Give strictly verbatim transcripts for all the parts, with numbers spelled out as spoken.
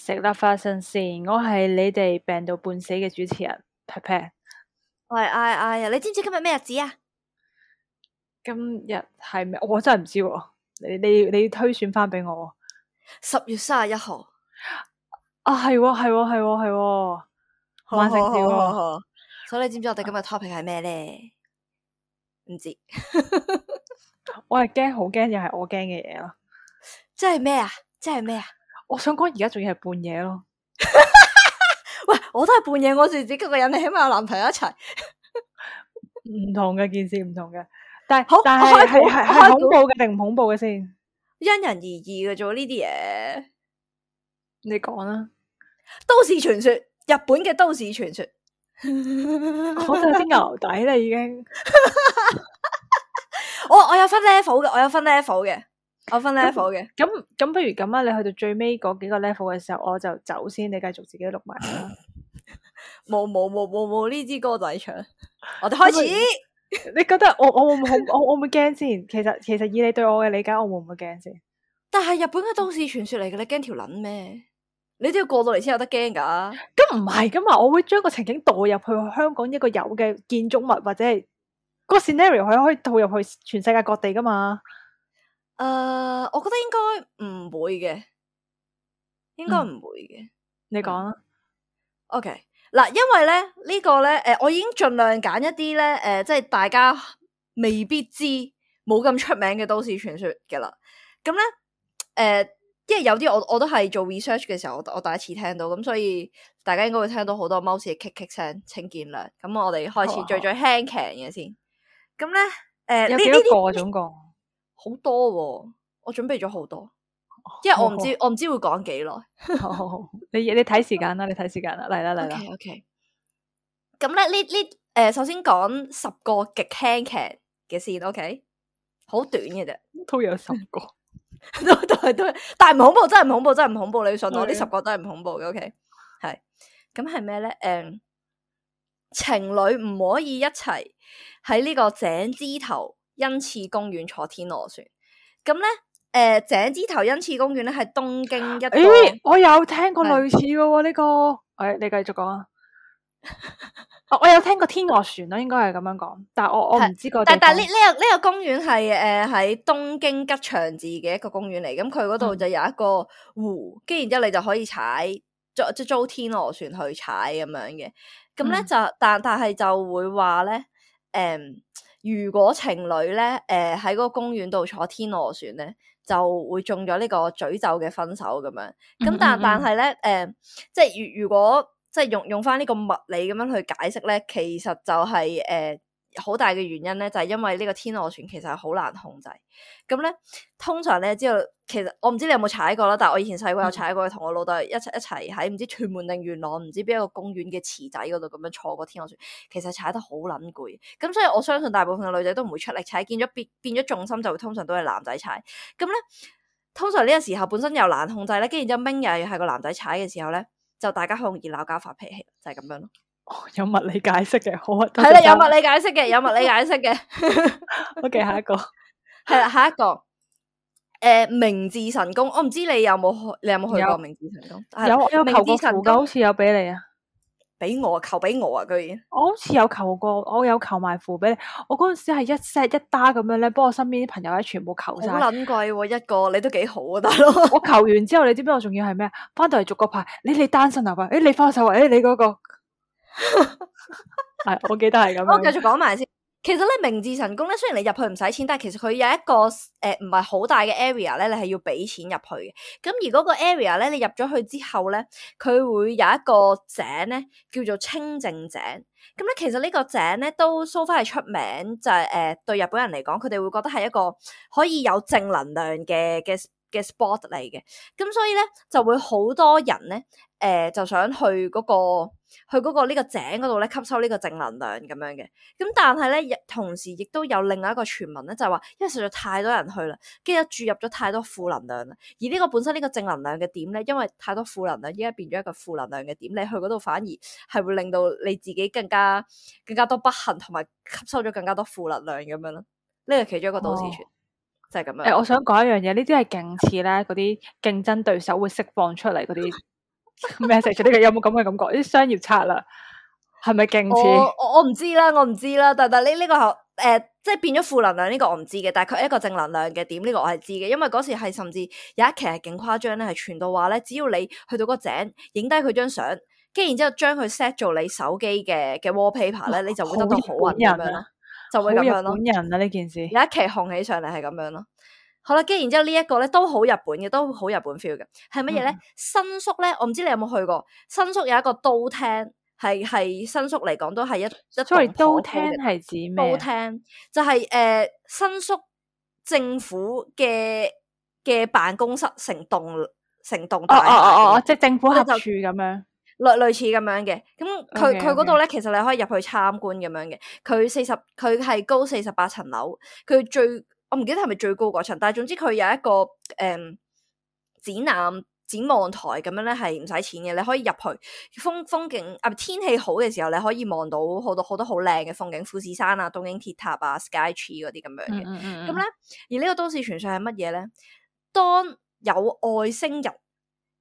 食啦花生先，我係你哋病到半死嘅主持人 Pat Pat。我係 I I 啊，你知唔知今日咩日子啊？今日係咩？我真係唔知喎，你你你推算翻俾我。十月三十一號。啊，係喎係喎係喎係喎，萬聖節喎。所以你知唔知我哋今日 topic 係咩咧？唔知。我係驚，好驚，又係我驚嘅嘢咯。即係咩啊？即係咩啊？我想講而家仲要係半夜咯。喂，我都係半夜，我自己一個人，你起碼有男朋友一齊。唔同嘅件事，唔同嘅。但係好但係係係係恐怖嘅定唔恐怖嘅先？因人而異嘅啫，呢啲嘢。你講啦。都市傳說，日本嘅都市傳說。我就有啲牛底啦，已經。我我有分 level 嘅，我有分 level 嘅，我分 level 嘅。咁咁不如咁啊！你去到最尾嗰幾個 level 嘅時候，我就走先，你繼續自己錄埋啦。冇冇冇冇冇呢支歌仔唱，我哋開始。你覺得我我會唔會我我會唔會驚先？其實其實以你對我嘅理解，我會唔會驚先？但係日本嘅都市傳說嚟嘅，你驚條撚咩？你都要過到嚟先有得驚噶。咁唔係噶嘛，我會將個情景導入去香港一個有嘅建築物，或者係個 scenario 係可以導入去全世界各地噶嘛。誒、uh, 我覺得應該唔會嘅，應該唔會嘅、嗯。你講啦。OK 嗱，因為咧呢、呢個咧誒、呃，我已經盡量揀一啲咧誒，即係大家未必知冇咁出名嘅都市傳說嘅啦。咁咧誒，因為有啲我我都係做 research 嘅時候，我我第一次聽到，咁所以大家應該會聽到好多貓屎嘅 kick kick 聲，請見諒。咁我哋開始最最輕騎嘅先。咁咧誒，有幾多個總共？好多、哦，我準備咗好多，因為我唔知、哦、我唔知會講幾耐。你你睇時間啦，你睇時間啦，嚟啦嚟啦。OK OK。咁咧呢呢誒，首先講十個極輕騎嘅先 ，OK， 好短嘅啫，都有十個，都都係都係，但係唔恐怖，真係唔恐怖，真係唔恐怖，你要信我，呢十個真係唔恐怖嘅 ，OK， 係。咁係咩咧？誒、嗯，情侶唔可以一齊喺呢個井之頭恩賜公園坐天鵝船，咁咧，誒、呃，井之頭恩賜公園咧係東京一個，誒，我有聽過類似嘅喎呢個，誒、哎，你繼續講啊。哦，我有聽過天鵝船咯，應該係咁樣講，但係我我唔知個。但但呢呢個呢、這個公園係誒喺東京吉祥寺嘅一個公園嚟，咁佢嗰度就有一個湖，跟住、嗯、然之後你就可以踩，即即租天鵝船去踩咁樣嘅，咁咧、嗯、就但但係就會話咧，誒、嗯。如果情侶咧，誒喺嗰個公園度坐天鵝船咧，就會中咗呢個詛咒嘅分手咁樣。咁但但係咧，誒、呃、即係如如果即係用用翻呢個物理咁樣去解釋咧，其實就係誒好大嘅原因咧，就係、是、因為呢個天鵝船其實係好難控制。咁咧，通常咧知道，其實我唔知你有冇踩過啦，但係我以前細個有踩過，同、嗯、我老豆一齊一齊喺唔知屯門定元朗唔知邊一個公園嘅池仔嗰度咁樣坐過天鵝船，其實踩得好撚攰。咁所以我相信大部分嘅女仔都唔會出力踩，見咗變變咗重心就會通常都係男仔踩。咁咧，通常呢個時候本身又難控制咧，跟住之後明又係個男仔踩嘅時候咧，就大家好容易鬧交發脾氣，就係、是、咁樣咯。哦，有物理解釋嘅，好啊，係啦，有物理解釋嘅，有物理解釋嘅。OK， 下一個係啦，下一個，誒、呃，明治神宮，我唔知你有冇去，你有冇去過明治神宮？有，有求過符噶，好似有俾你啊，俾我求俾我啊，居然，我好似有求過，我有求埋符俾你，我嗰陣時係一 set 一打咁樣咧，幫我身邊啲朋友咧全部求晒，好撚貴喎，一個你都幾好啊，大佬。我求完之後，你知唔知我仲要係咩？翻到嚟逐個牌，你你單身啊？喂，誒，你翻手啊？誒，你嗰、那個。係，我記得係咁樣。我繼續講埋先。其實咧，明治神宮咧，雖然你入去唔使錢，但係其實佢有一個誒唔係好大嘅 area 咧，你係要俾錢入去嘅。咁而嗰個 area 咧，你入咗去之後咧，佢會有一個井咧，叫做清淨井。咁咧，其實呢個井咧都 so far 係出名，就係、是、誒、呃、對日本人嚟講，佢哋會覺得係一個可以有正能量嘅嘅嘅 spot 嚟嘅。咁所以咧，就會好多人咧。誒、呃，就想去嗰、那個去嗰個呢個井嗰度咧，吸收呢個正能量咁樣嘅。咁但係咧，同時亦都有另外一個傳聞咧，就係、是、話，因為實在太多人去啦，跟住注入咗太多負能量啦。而呢個本身呢個正能量嘅點咧，因為太多負能量，依家變咗一個負能量嘅點，你去嗰度反而係會令到你自己更加更加多不幸，同埋吸收咗更加多負能量咁樣咯。呢個其中一個都市傳、哦、就係咁樣。誒、欸，我想講一樣嘢，呢啲係勁似咧嗰啲競爭對手會釋放出嚟嗰啲。message 呢個有冇咁嘅感覺？啲商業策略係咪勁似？我我我唔知啦，我唔知啦。但但呢呢個係誒、呃，即係變咗負能量呢個我唔知嘅，但係佢係一個正能量嘅點呢個我係知嘅，因為嗰時係甚至有一期係勁誇張咧，係傳到話咧，只要你去到個井影低佢張相，跟住然之後將佢 set 做你手機嘅嘅 wallpaper 咧，你就會得到好運咁樣咯，就會咁樣咯。好日本人啊呢件事，有一期紅起上嚟係咁樣咯。好啦，跟住然之後呢一個咧都好日本嘅，都好日本 feel 嘅，係乜嘢咧？嗯、新宿咧，我唔知你有冇去過，新宿有一個都廳，係係新宿嚟講都係一一所以都廳廳係指咩？都廳就係、是、誒、呃、新宿政府嘅嘅辦公室成棟成棟大廈，哦哦哦哦，即係政府合就署咁樣，類類似咁樣嘅。咁佢 Okay, 佢嗰度咧， okay. 其實你可以入去參觀咁樣嘅。佢四十，佢係高四十八層樓，佢最。我唔記得係咪最高嗰層，但係總之佢有一個誒、嗯、展覽展望台咁樣咧，係唔使錢嘅，你可以入去風風景啊，天氣好嘅時候，你可以望到好多好多好靚嘅風景，富士山啊、東京鐵塔啊、Sky Tree 嗰啲咁樣嘅。咁咧、嗯嗯嗯，而呢個都市傳說係乜嘢咧？當有外星人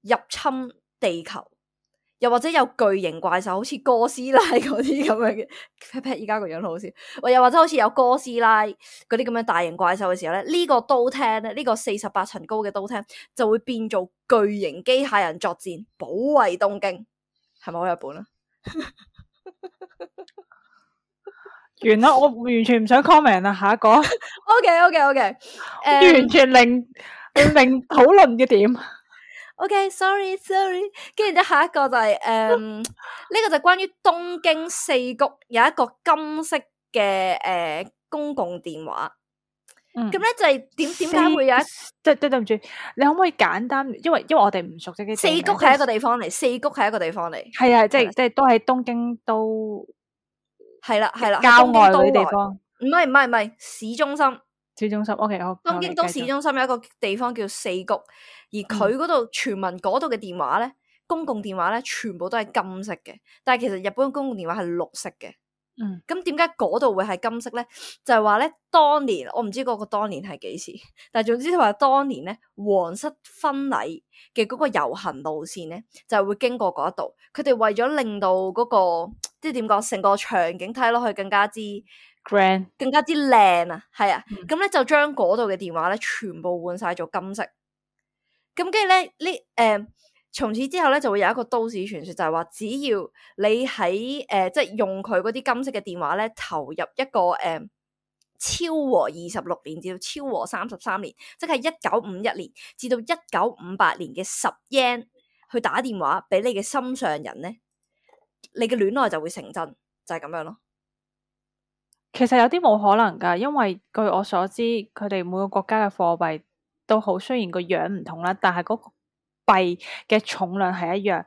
入侵地球，又或者有巨型怪獸，好似哥斯拉嗰啲咁樣嘅 pat pat，依家個樣好笑。或又或者好似有哥斯拉嗰啲咁樣大型怪獸嘅時候咧，呢、呢個都廳咧，呢、呢個四十八層高嘅都廳就會變做巨型機械人作戰，保衛東京。係咪好日本啊？完啦，我完全唔想 comment 啦，下一個。OK OK OK， uh, 完全零零討論嘅點。OK，sorry sorry， 跟住之後下一個就係誒呢個就關於東京四谷有一個金色嘅誒、呃、公共電話。咁咧、嗯、就係點點解會有一即係對對唔住，你可唔可以簡單？因為因為我哋唔熟悉嘅四谷係一個地方嚟，四谷係一個地方嚟，係啊，即係即係都喺東京都係啦係啦，郊外嗰啲地方，唔係唔係唔係市中心。市中心 OK 好。東京都市中心有一個地方叫四谷，而佢嗰度傳聞嗰度嘅電話咧，公共電話咧，全部都係金色嘅。但係其實日本公共電話係綠色嘅。嗯，咁點解嗰度會係金色咧？就係話咧，當年我唔知嗰個當年係幾時，但係總之佢話當年咧，皇室婚禮嘅嗰個遊行路線咧，就係會經過嗰一度。佢哋為咗令到嗰個即係點講，成個場景睇落去更加之 grand，更加之靚啊，係啊，咁咧、嗯、就將嗰度嘅電話咧全部換晒做金色。咁跟住咧呢誒，從此之後咧就會有一個都市傳說，就係話只要你喺誒即係用佢嗰啲金色嘅電話咧，投入一個誒、呃、昭和二十六年至到昭和三十三年，即係一九五一年至到一九五八年嘅十 yen 去打電話俾你嘅心上人咧，你嘅戀愛就會成真，就係、是、咁樣咯。其實有啲冇可能噶，因為據我所知，佢哋每個國家嘅貨幣都好，雖然個樣唔同啦，但係嗰個幣嘅重量係一樣。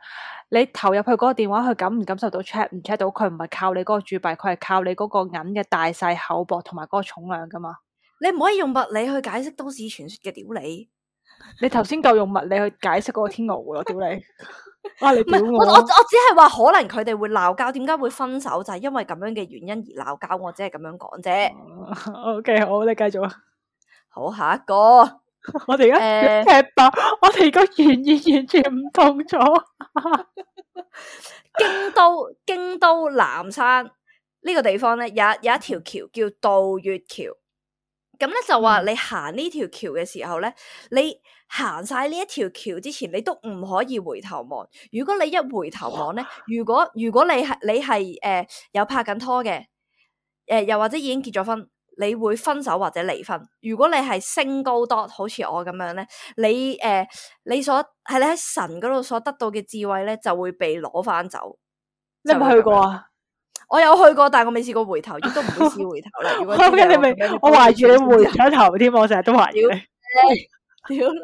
你投入去嗰個電話，佢感唔感受到 check 唔 check 到？佢唔係靠你嗰個鑄幣，佢係靠你嗰個銀嘅大細、厚薄同埋嗰個重量噶嘛。你唔可以用物理去解釋都市傳說嘅，屌你！你頭先夠用物理去解釋嗰個天鵝湖咯，屌你！啊！你屌我，我我我只係話可能佢哋會鬧交，點解會分手就係、是、因為咁樣嘅原因而鬧交，我只係咁樣講啫。O K，好，你繼續啊。好，下一個，我哋而家踢爆，我哋個原意完全唔同咗。京都京都南山呢個地方咧，有有一條橋叫渡月橋。咁咧就話你行呢條橋嘅時候咧，你行晒呢一條橋之前，你都唔可以回頭望。如果你一回頭望咧，如果如果你係你係誒、呃、有拍緊拖嘅，誒、呃、又或者已經結咗婚，你會分手或者離婚。如果你係 single dot，好似我咁樣咧，你誒、呃、你所係你喺神嗰度所得到嘅智慧咧，就會被攞翻走。你有冇去過啊？我有去過，但係我未試過回頭，亦都唔會試回頭啦。如果知你明，我懷住你回咗頭添，我成日都懷住你。屌你！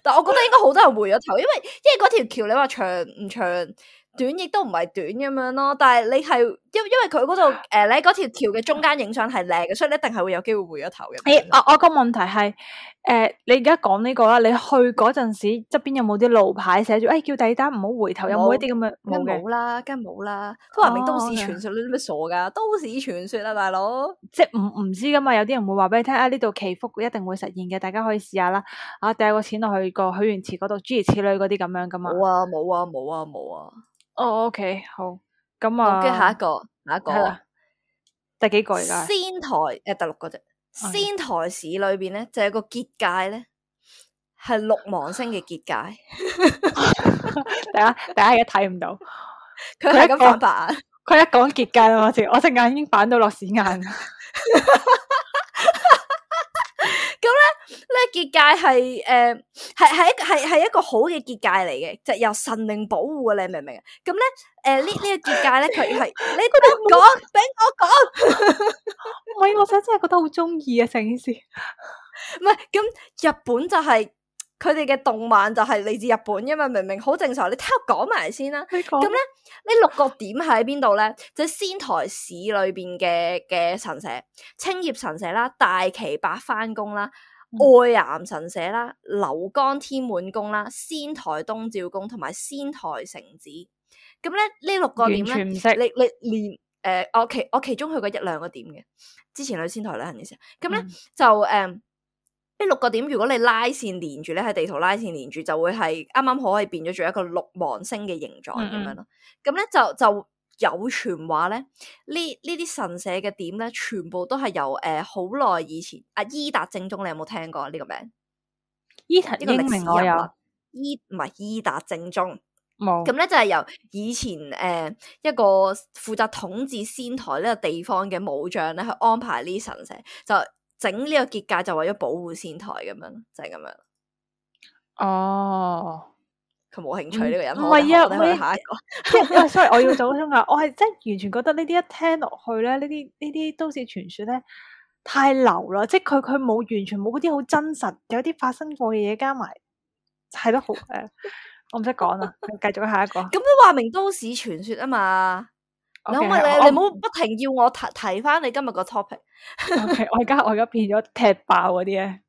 但係我覺得應該好多人回咗頭，因為因為嗰條橋你話長唔長短亦都唔係短咁樣咯，但係你係因因為佢嗰度誒，你喺嗰條橋嘅中間影相係靚嘅，所以你一定係會有機會回咗頭嘅。誒、欸，我我個問題係誒、呃，你而家講呢個啦，你去嗰陣時側邊有冇啲路牌寫住誒叫第二單唔好回頭，有冇一啲咁嘅？梗冇嘅，冇啦，梗冇啦，都話明都市哦傳說，你啲咩傻噶？都市傳說啊，大佬。即係唔唔知噶嘛，有啲人會話俾你聽啊，呢度祈福一定會實現嘅，大家可以試下啦。啊，掟個錢落去個許願池嗰度，諸如此類嗰啲咁樣噶嘛。冇啊，冇啊，冇啊，冇啊。哦，OK，好，咁啊，跟住下一個，下一個，係啦，第幾個而家？仙台誒，第六個啫。仙台市裏邊咧就有個結界咧，係六芒星嘅結界。大家大家而家睇唔到，佢係咁反白眼。佢一講結界啦，我隻我隻眼已經反到落屎眼。咁咧，呢結界係誒係係一係係一個好嘅結界嚟嘅，就由神靈保護嘅，你明唔明啊？咁咧誒呢呢個結界咧，佢係你俾我講，俾我講。唔係，我真真係覺得好中意啊！成件事唔係咁，日本就係佢哋嘅動漫就係嚟自日本，因為明明好正常。你聽我講埋先啦。咁咧呢六個點喺邊度咧？就係仙台市裏邊嘅嘅神社，青葉神社啦、大岐八幡宮啦、愛岩神社啦、流江天滿宮啦、仙台東照宮同埋仙台城寺。咁咧呢六個點咧，完全唔識。你你連誒我其我其中去過一兩個點嘅，之前去仙台旅行嘅時候，咁咧、嗯、就誒呢、嗯、六個點，如果你拉線連住咧，喺地圖拉線連住，就會係啱啱好可以變咗做一個六芒星嘅形狀咁樣咯。咁咧、嗯嗯、就就有傳話咧，呢呢啲神社嘅點咧，全部都係由誒好耐以前阿伊達正宗，你有冇聽過呢個名？伊達英明我有，伊唔係伊達正宗。冇咁咧就係由以前誒、呃、一個負責統治仙台呢個地方嘅武將咧去安排呢啲神社，就整呢個結界就為咗保護仙台咁樣，就係、是、咁樣。哦，佢冇興趣呢、嗯、個人，唔係啊，我哋去下一個。因為所以我要補充啊，我係真係完全覺得呢啲一聽落去咧，呢啲呢啲都市傳說咧太流啦，即係佢佢冇完全冇嗰啲好真實，有啲發生過嘅嘢加埋，係咯好誒。我唔識講啦，繼續下一個。咁都話明都市傳說啊嘛， okay, 你可唔可以你你唔好不停要我提提翻你今日個 topic。OK，我而家我而家變咗踢爆嗰啲咧。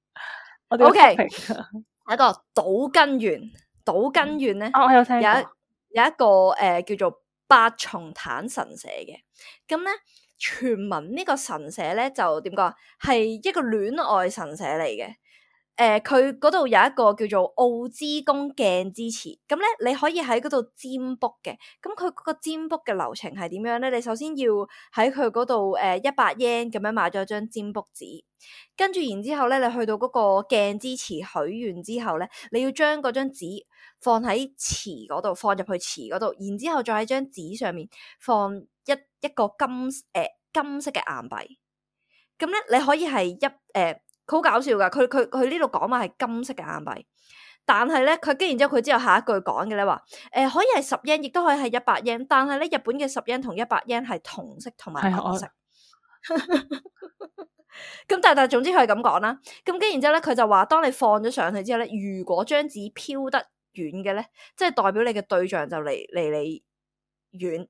O K，一個島根縣，島根縣咧，我有聽過，有有一個誒、呃、叫做八重坦神社嘅。咁咧，傳聞呢個神社咧就點講啊？係一個戀愛神社嚟嘅。誒，佢嗰度有一個叫做奧之宮鏡之池，咁咧你可以喺嗰度占卜嘅。咁佢嗰個占卜嘅流程係點樣咧？你首先要喺佢嗰度誒一百 yen 咁樣買咗張占卜紙，跟住然之後咧，你去到嗰個鏡之池許願之後咧，你要將嗰張紙放喺池嗰度，放入去池嗰度，然之後再喺張紙上面放一一個金誒、呃、金色嘅硬幣。咁咧你可以係一誒。呃好搞笑噶，佢佢佢呢度講話係金色嘅硬幣，但係咧佢跟然之後佢之後下一句講嘅咧話，誒、呃、可以係十 yen，亦都可以係一百 yen，但係咧日本嘅十 yen 同一百 yen 係同色同埋銀色。咁但係但係總之佢係咁講啦，咁跟然之後咧佢就話，當你放咗上去之後咧，如果張紙飄得遠嘅咧，即係代表你嘅對象就離離你遠。誒、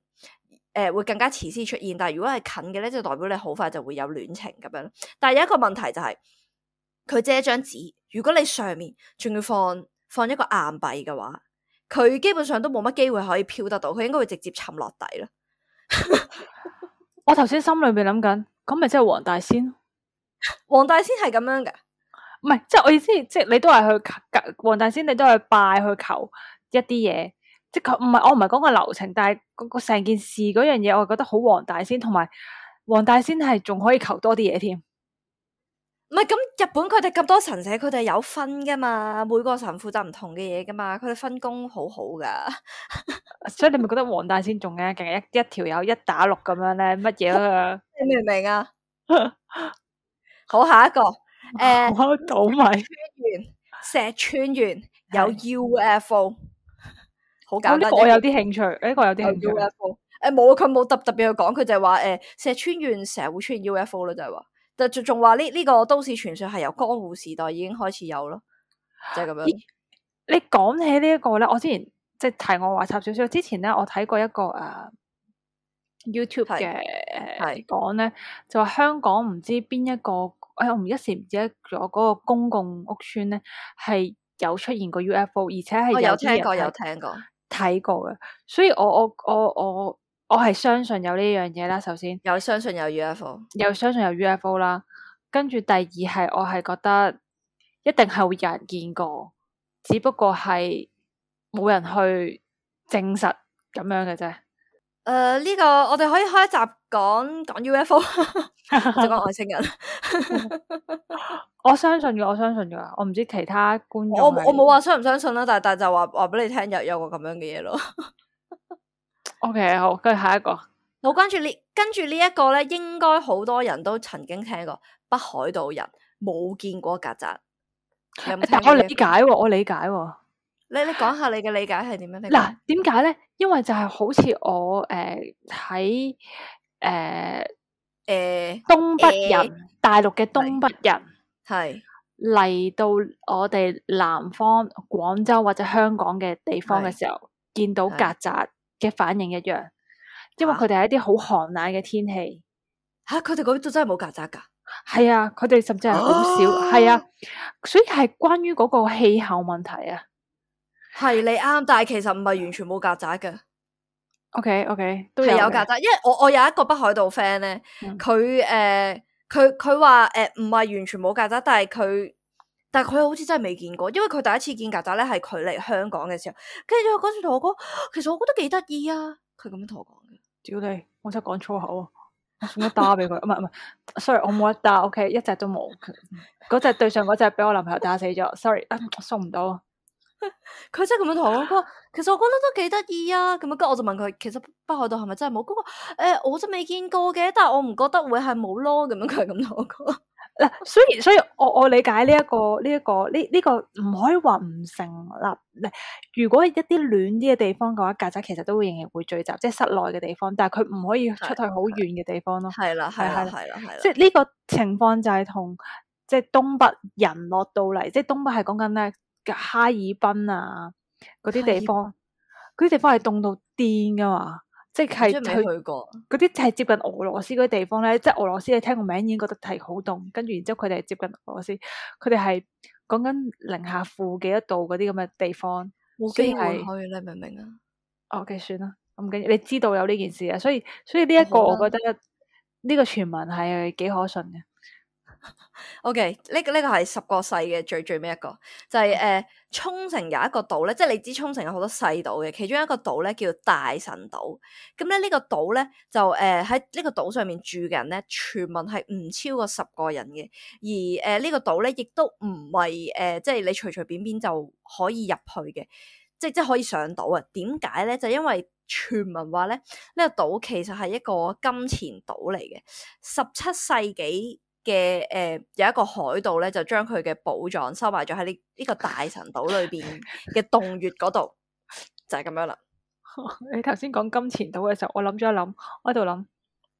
呃，會更加遲先出現，但係如果係近嘅咧，就代表你好快就會有戀情咁樣。但係有一個問題就係、是，佢借一張紙，如果你上面仲要放放一個硬幣嘅話，佢基本上都冇乜機會可以飄得到，佢應該會直接沉落底啦。我頭先心裏邊諗緊，咁咪即係黃大仙？黃大仙係咁樣嘅，唔係，即係我意思，即係你都係去黃大仙，你都係拜去求一啲嘢。即係佢唔係，我唔係講個流程，但係嗰個成件事嗰樣嘢，我覺得好黃大仙，同埋黃大仙係仲可以求多啲嘢添。唔係咁，日本佢哋咁多神社，佢哋有分噶嘛，每個神負責唔同嘅嘢噶嘛，佢哋分工好好噶。所以你咪覺得黃大仙仲嘅，勁係一一條友一打六咁樣咧，乜嘢啊？你明唔明啊？好，下一個誒，倒米石川縣有 U F O。好簡單，呢個我有啲興趣，呢個有啲興趣。U F O，誒冇，佢冇特特別去講，佢就係話誒石川縣成日會出現 U F O 咯，就係話，就仲仲話呢呢個都市傳說係由江戶時代已經開始有咯，就係咁樣。你講起呢一個咧，我之前即係題外話插少少。之前咧，我睇過一個誒、uh, YouTube 嘅誒講咧，就話香港唔知邊一個，誒、哎、我唔一時唔記得咗嗰個公共屋邨咧，係有出現過 U F O， 而且係有啲人有聽過有聽過睇過嘅。所以我我我我我係相信有呢樣嘢啦。首先有相信有 U F O， 有相信有 U F O 啦。跟住第二係我係覺得一定係會有人見過，只不過係冇人去證實咁樣嘅啫。誒，呢、呃這個我哋可以開一集講講 U F O，就講外星人。我相信嘅，我相信嘅，我唔知其他觀眾。我我冇話相唔相信啦，但係但係就話話俾你聽有有個咁樣嘅嘢咯。O、okay, K， 好，跟住下一個，好，跟住呢，跟住呢一個咧，應該好多人都曾經聽過，北海道人冇見過曱甴。有冇聽過？我理解喎，我理解喎。你你講下你嘅理解係點樣？嗱，點解咧？因為就係好似我誒喺誒誒東北人，呃、大陸嘅東北人係嚟到我哋南方廣州或者香港嘅地方嘅時候，見到曱甴嘅反應一樣，因為佢哋係一啲好寒冷嘅天氣。吓、啊，佢哋嗰度真係冇曱甴噶？係啊，佢哋甚至係好少，係啊，所以係關於嗰個氣候問題啊。係你啱，但係其實唔係完全冇曱甴嘅。O K O K 都係有曱甴，因為我我有一個北海道 friend 咧，佢誒佢佢話誒唔係完全冇曱甴，但係佢但係佢好似真係未見過，因為佢第一次見曱甴咧係佢嚟香港嘅時候，跟住佢嗰時同我講，其實我覺得幾得意啊，佢咁樣同我講嘅。屌你，我真係講粗口啊！我送一打俾佢，唔係唔係，sorry，我冇一打 O K，一隻都冇，嗰隻對上嗰隻俾我男朋友打死咗 ，sorry，啊，我送唔到。佢真係咁樣同我講，其實我覺得都幾得意啊。咁樣，跟住我就問佢，其實北海道係咪真係冇？嗰個誒，我真未見過嘅，但係我唔覺得會係冇咯。咁樣佢係咁同我講。嗱，所以所以我我理解呢、這、一個呢一、這個呢呢、這個唔可以話唔成立。如果一啲暖啲嘅地方嘅話，曱甴其實都會仍然會聚集，即係室內嘅地方，但係佢唔可以出去好遠嘅地方咯。係啦，係啦，係啦，係啦。即係呢個情況就係同即係東北人落到嚟，即係東北係講緊咧。哈爾濱啊，嗰啲地方，嗰啲地方係凍到癲噶嘛，即係佢去過嗰啲係接近俄羅斯嗰啲地方咧，即係俄羅斯你聽個名已經覺得係好凍，跟住然之後佢哋係接近俄羅斯，佢哋係講緊零下負幾多度嗰啲咁嘅地方，冇機會去，你明唔明啊？哦，OK，算啦，唔緊要，你知道有呢件事啊，所以所以呢一個我覺得呢個傳聞係幾可信嘅。O.K. 呢個呢個係十個細嘅最最尾一個，就係誒沖繩有一個島咧，即係你知沖繩有好多細島嘅，其中一個島咧叫大神島。咁咧呢個島咧就誒喺呢個島上面住嘅人咧，傳聞係唔超過十個人嘅。而誒、呃這個、呢個島咧亦都唔係誒即係你隨隨便便就可以入去嘅，即係即係可以上島啊？點解咧？就因為傳聞話咧呢、這個島其實係一個金錢島嚟嘅，十七世紀。嘅誒、呃、有一個海盜咧，就將佢嘅寶藏收埋咗喺呢呢個大神島裏邊嘅洞穴嗰度，就係、是、咁樣啦。你頭先講金錢島嘅時候，我諗咗一諗，我喺度諗，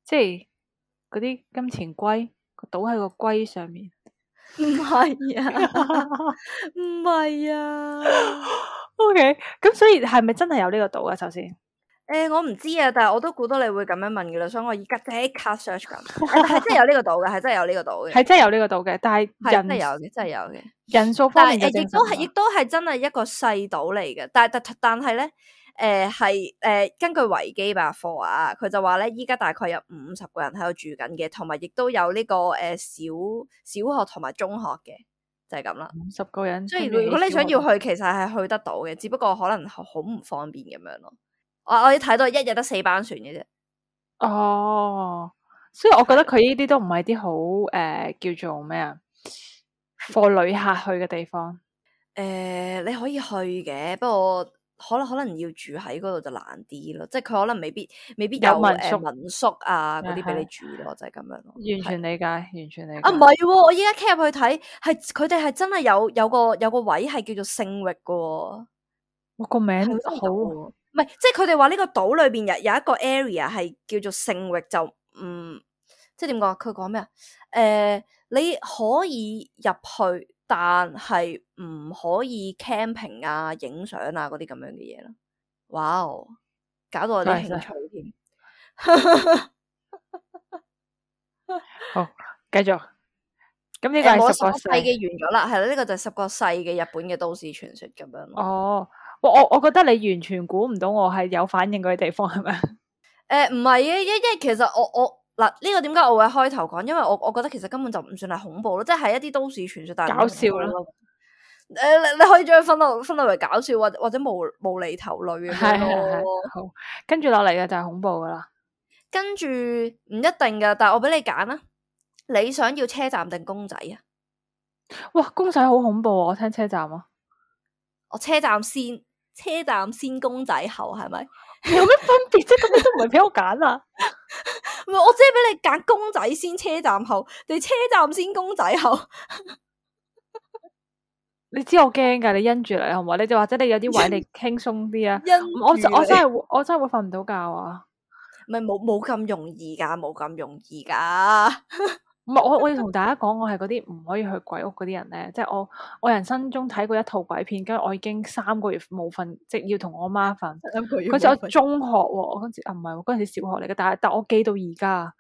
即係嗰啲金錢龜個島喺個龜上面，唔係啊，唔係啊。O K，咁所以係咪真係有呢個島啊？首先。誒、欸，我唔知啊，但係我都估到你會咁樣問嘅啦，所以我而家即刻 search 緊，係真係有呢個島嘅，係真係有呢個島嘅，係真係有呢個島嘅，但係係真係有嘅，真係有嘅。人數方面誒，亦都係，亦都係真係一個細島嚟嘅。但係但但係咧，誒係誒根據維基百科啊，佢就話咧，依家大概有五十個人喺度住緊嘅，同埋亦都有呢、這個誒、呃、小小學同埋中學嘅，就係咁啦。五十個人，所以如果你想要去，其實係去得到嘅，只不過可能好唔方便咁樣咯。我我要睇到一日得四班船嘅啫。哦，所以我覺得佢呢啲都唔係啲好誒叫做咩啊，貨旅客去嘅地方。誒、呃，你可以去嘅，不過可能可能要住喺嗰度就難啲咯。即係佢可能未必未必有，有民宿、呃、民宿啊嗰啲俾你住咯，就係、是、咁樣咯。完全理解，完全理解。啊，唔係喎，我依家 cap 入去睇，係佢哋係真係有有個有個位係叫做聖域嘅。我個名好。唔係，即係佢哋話呢個島裏邊有有一個 area 係叫做聖域，就唔即係點講？佢講咩啊？誒、呃，你可以入去，但係唔可以 camping 啊、影相啊嗰啲咁樣嘅嘢咯。哇哦，搞到我啲興趣添。好，繼續。咁呢個係十個世嘅完咗啦，係啦，呢、這個就係十個世嘅日本嘅都市傳說咁樣。哦，我我我覺得你完全估唔到我係有反應嗰啲地方係咪？誒，唔係嘅，因因為其實我我嗱呢、這個點解我會開頭講？因為我我覺得其實根本就唔算係恐怖咯，即係一啲都市傳說，但係搞笑咯。誒、呃，你你可以將佢分落分落為搞笑或或者無無厘頭類嘅係係係。好，跟住落嚟嘅就係恐怖噶啦。跟住唔一定噶，但係我俾你揀啦。你想要車站定公仔啊？哇，公仔好恐怖啊！我聽車站啊，我車站先，車站先公仔後係咪？有咩分別啫？咁你都唔係俾我揀啊？唔係，我只係俾你揀公仔先，車站後，定車站先公仔後？你知我驚噶，你因住嚟好唔好？你就或者你有啲位你輕鬆啲啊？我我真係我真係會瞓唔到覺啊！唔係冇冇咁容易噶，冇咁容易噶。唔係我我要同大家講，我係嗰啲唔可以去鬼屋嗰啲人咧，即係我我人生中睇過一套鬼片，跟住我已經三個月冇瞓，即係要同我媽瞓。嗰時我中學喎，我嗰時啊唔係，嗰陣時小學嚟嘅，但係但我記到而家。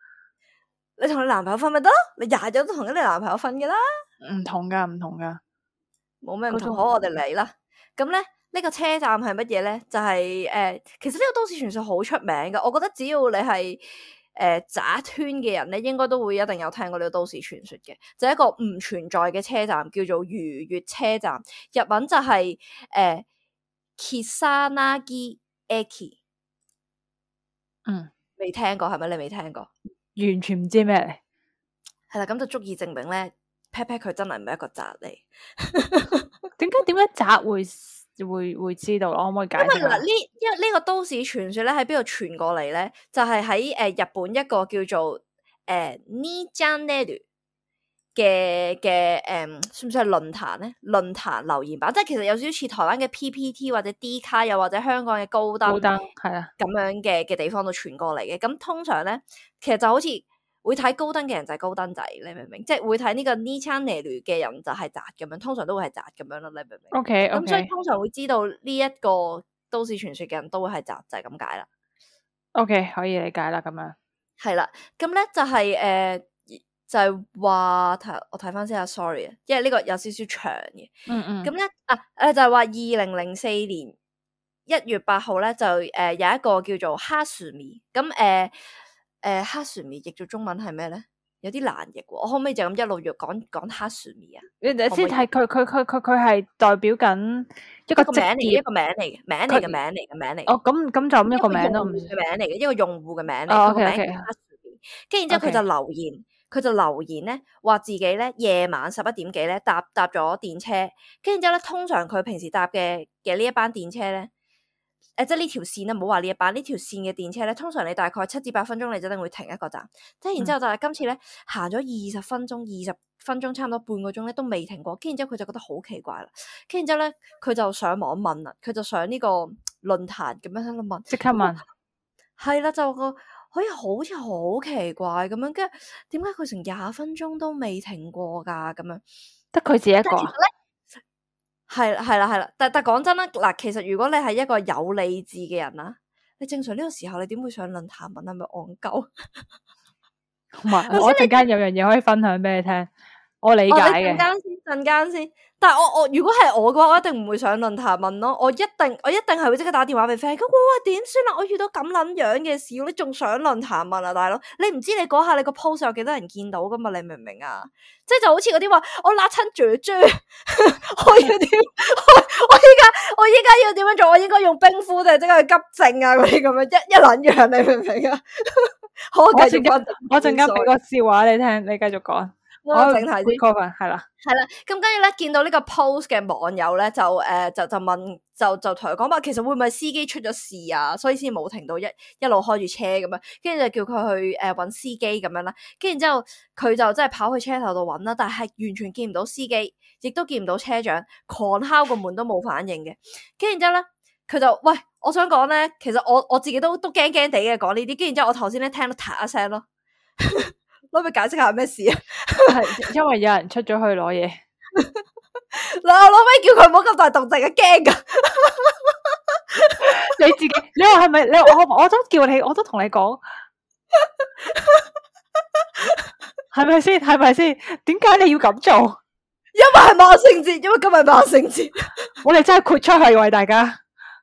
你同你男朋友瞓咪得咯？你日日都同緊你男朋友瞓噶啦。唔同噶，唔同噶，冇咩唔同。好，我哋嚟啦。咁咧呢個車站係乜嘢咧？就係、是、誒、呃，其實呢個都市傳說好出名噶。我覺得只要你係。誒，渣圈嘅人咧，應該都會一定有聽過呢個都市傳說嘅，就係、一個唔存在嘅車站，叫做如月車站。日文就係、是、誒 Kisanagi Eki。嗯，未聽過係咪？你未聽過？完全唔知咩嚟。係啦，咁就足以證明咧 pat pat 佢真係唔係一個宅嚟。點解點解宅會？會會知道咯，可唔可以解釋？因為嗱，呢因為呢個都市傳說咧喺邊度傳過嚟咧，就係喺誒日本一個叫做誒 Nijaneru 嘅嘅誒，算唔算係論壇咧？論壇留言板，即係其實有少少似台灣嘅 P P T 或者 D 卡，又或者香港嘅高登，高登係啊，咁樣嘅嘅地方度傳過嚟嘅。咁通常咧，其實就好似會睇高登嘅人就係高登仔，你明唔明？即係會睇呢個 Nijaneru 嘅人就係宅咁樣，通常都會係宅咁樣咯，你明唔明 ？OK，咁、okay, 所以通常會知道呢一個都市傳說嘅人都會係宅，就係咁解啦。OK，可以理解啦，咁樣係啦，咁咧就係、是、誒、呃，就係話睇我睇翻先啊 ，sorry 啊，因為呢個有少少長嘅。嗯嗯。咁咧啊誒，就係話二零零四年一月八號咧，就誒、呃、有一個叫做哈樹米咁誒。誒，哈樹米譯做中文係咩咧？有啲難譯，我可唔可以就咁一路講講哈樹米啊？你先睇佢佢佢佢佢係代表緊一個職業，一個名嚟嘅，名嚟嘅，名嚟嘅，名嚟。哦，咁咁就咁一個名咯，嘅名嚟嘅，一個用戶嘅名嚟。哦，個名 OK，哈樹米。跟住然之後佢就留言，佢就留言咧，話自己咧夜晚十一點幾咧搭搭咗電車，跟住之後咧，通常佢平時搭嘅嘅呢一班電車咧。誒、呃，即係呢條線咧，唔好話呢一班呢條線嘅電車咧，通常你大概七至八分鐘，你就一定會停一個站。即係然之後就係今次咧，行咗二十分鐘，二十分鐘差唔多半個鐘咧，都未停過。跟住之後佢就覺得好奇怪啦。跟住之後咧，佢就上網問啦，佢就上呢個論壇咁樣喺度問，即刻問，係啦，就個可以好似好奇怪咁樣，跟住點解佢成廿分鐘都未停過噶？咁樣得佢自己一個。係啦，係啦，係啦，但但講真啦，嗱，其實如果你係一個有理智嘅人啦，你正常呢個時候你點會上論壇問係咪戇鳩？唔係，我陣間有樣嘢可以分享俾你聽，我理解嘅。陣間先，陣間先。但係我我如果係我嘅話，我一定唔會上論壇問咯。我一定我一定係會即刻打電話俾 friend。咁哇點算啦？我遇到咁撚樣嘅事，你仲上論壇問啊，大佬？你唔知你嗰下你個 post 有幾多人見到噶嘛？你明唔明啊？即係就好似嗰啲話我辣親豬豬，我要點？我依家我依家要點樣做？我應該用冰敷定係即刻去急症啊？嗰啲咁樣一一撚樣，你明唔明啊？好，我繼續我陣間俾個笑話你聽，你繼續講。我整題先，係啦，係啦，咁跟住咧，見到呢個 post 嘅網友咧，就誒、呃，就就問，就就同佢講話，其實會唔會司機出咗事啊？所以先冇停到一一路開住車咁樣，跟住就叫佢去誒搵、呃、司機咁樣啦。跟住之後，佢就真係跑去車頭度搵啦，但係完全見唔到司機，亦都見唔到車長，狂敲個門都冇反應嘅。跟住之後咧，佢就喂，我想講咧，其實我我自己都都驚驚地嘅講呢啲。跟住之後，我頭先咧聽到嗒一聲咯。可唔可以解釋下咩事啊？係因為有人出咗去攞嘢，嗱，我攞咩叫佢唔好咁大動靜啊？驚噶！你自己，你話係咪？你我我都叫你，我都同你講，係咪先？係咪先？點解你要咁做？因為係萬聖節，因為今日萬聖節，我哋真係豁出去為大家。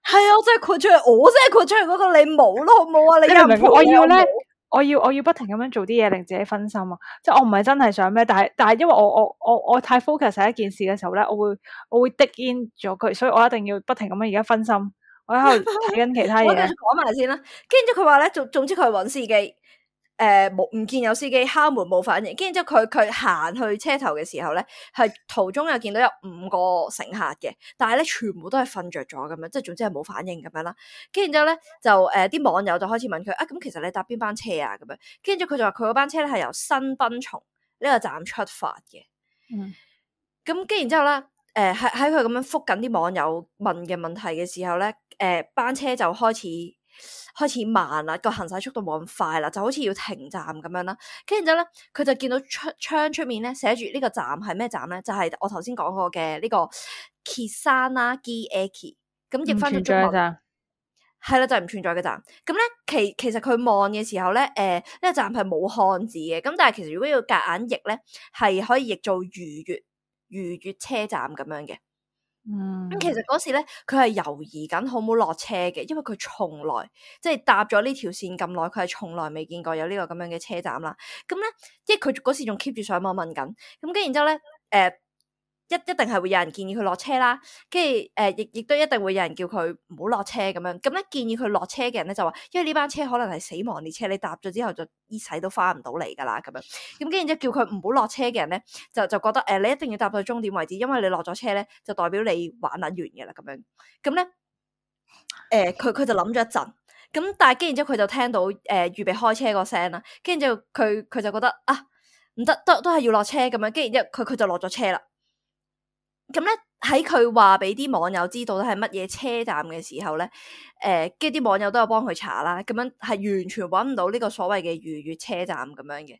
係啊，我真係豁出去，我真係豁出去嗰個你冇咯，好唔好啊？你又你明唔明？我要咧，冇我要我要不停咁樣做啲嘢令自己分心啊！即係我唔係真係想咩，但係但係因為我我我我太 focus 喺一件事嘅時候咧，我會我會 dig in 咗佢，所以我一定要不停咁樣而家分心，我喺度睇緊其他我繼嘢。續講埋先啦，跟住之後佢話咧，總總之佢揾司機，誒冇唔見有司機，敲門冇反應，跟住之後佢佢行去車頭嘅時候咧，係途中又見到有五個乘客嘅，但係咧全部都係瞓着咗咁樣，即係總之係冇反應咁樣啦。跟住之後咧就誒啲、呃、網友就開始問佢啊，咁其實你搭邊班車啊？咁樣，跟住佢就話佢嗰班車咧係由新濱從呢個站出發嘅。嗯，咁跟然之後咧，誒喺喺佢咁樣覆緊啲網友問嘅問題嘅時候咧，誒、呃、班車就開始開始慢啦，個行駛速度冇咁快啦，就好似要停站咁樣啦。跟住之後咧，佢就見到出窗出面咧寫住呢個站係咩站咧？就係、是、我頭先講過嘅呢個 Kisana-gi Eki。咁譯翻咗中文係啦，就係、是、唔存在嘅站。咁咧其其實佢望嘅時候咧，誒、呃、呢、這個站係冇漢字嘅。咁但係其實如果要夾硬譯咧，係可以譯做如月如月車站咁樣嘅。嗯，咁其實嗰時咧，佢係猶豫緊好唔好落車嘅，因為佢從來即係搭咗呢條線咁耐，佢係從來未見過有呢個咁樣嘅車站啦。咁咧，即係佢嗰時仲 keep 住上網問緊，咁跟住然之後咧，誒、呃。一一定係會有人建議佢落車啦，跟住誒，亦亦都一定會有人叫佢唔好落車咁樣。咁咧建議佢落車嘅人咧就話，因為呢班車可能係死亡列車，你搭咗之後就一世都翻唔到嚟噶啦咁樣。咁跟住之後叫佢唔好落車嘅人咧，就就覺得誒、呃，你一定要搭到終點為止，因為你落咗車咧，就代表你玩得完嘅啦咁樣。咁咧，誒，佢佢就諗咗一陣，咁但係跟住之後佢就聽到誒、呃、預備開車個聲啦，跟住之後佢佢就覺得啊，唔得，都都係要落車咁樣。跟住之後佢佢就落咗車啦。咁咧喺佢話俾啲網友知道咧係乜嘢車站嘅時候咧，誒、呃，跟住啲網友都有幫佢查啦，咁樣係完全搵唔到呢個所謂嘅如月車站咁樣嘅。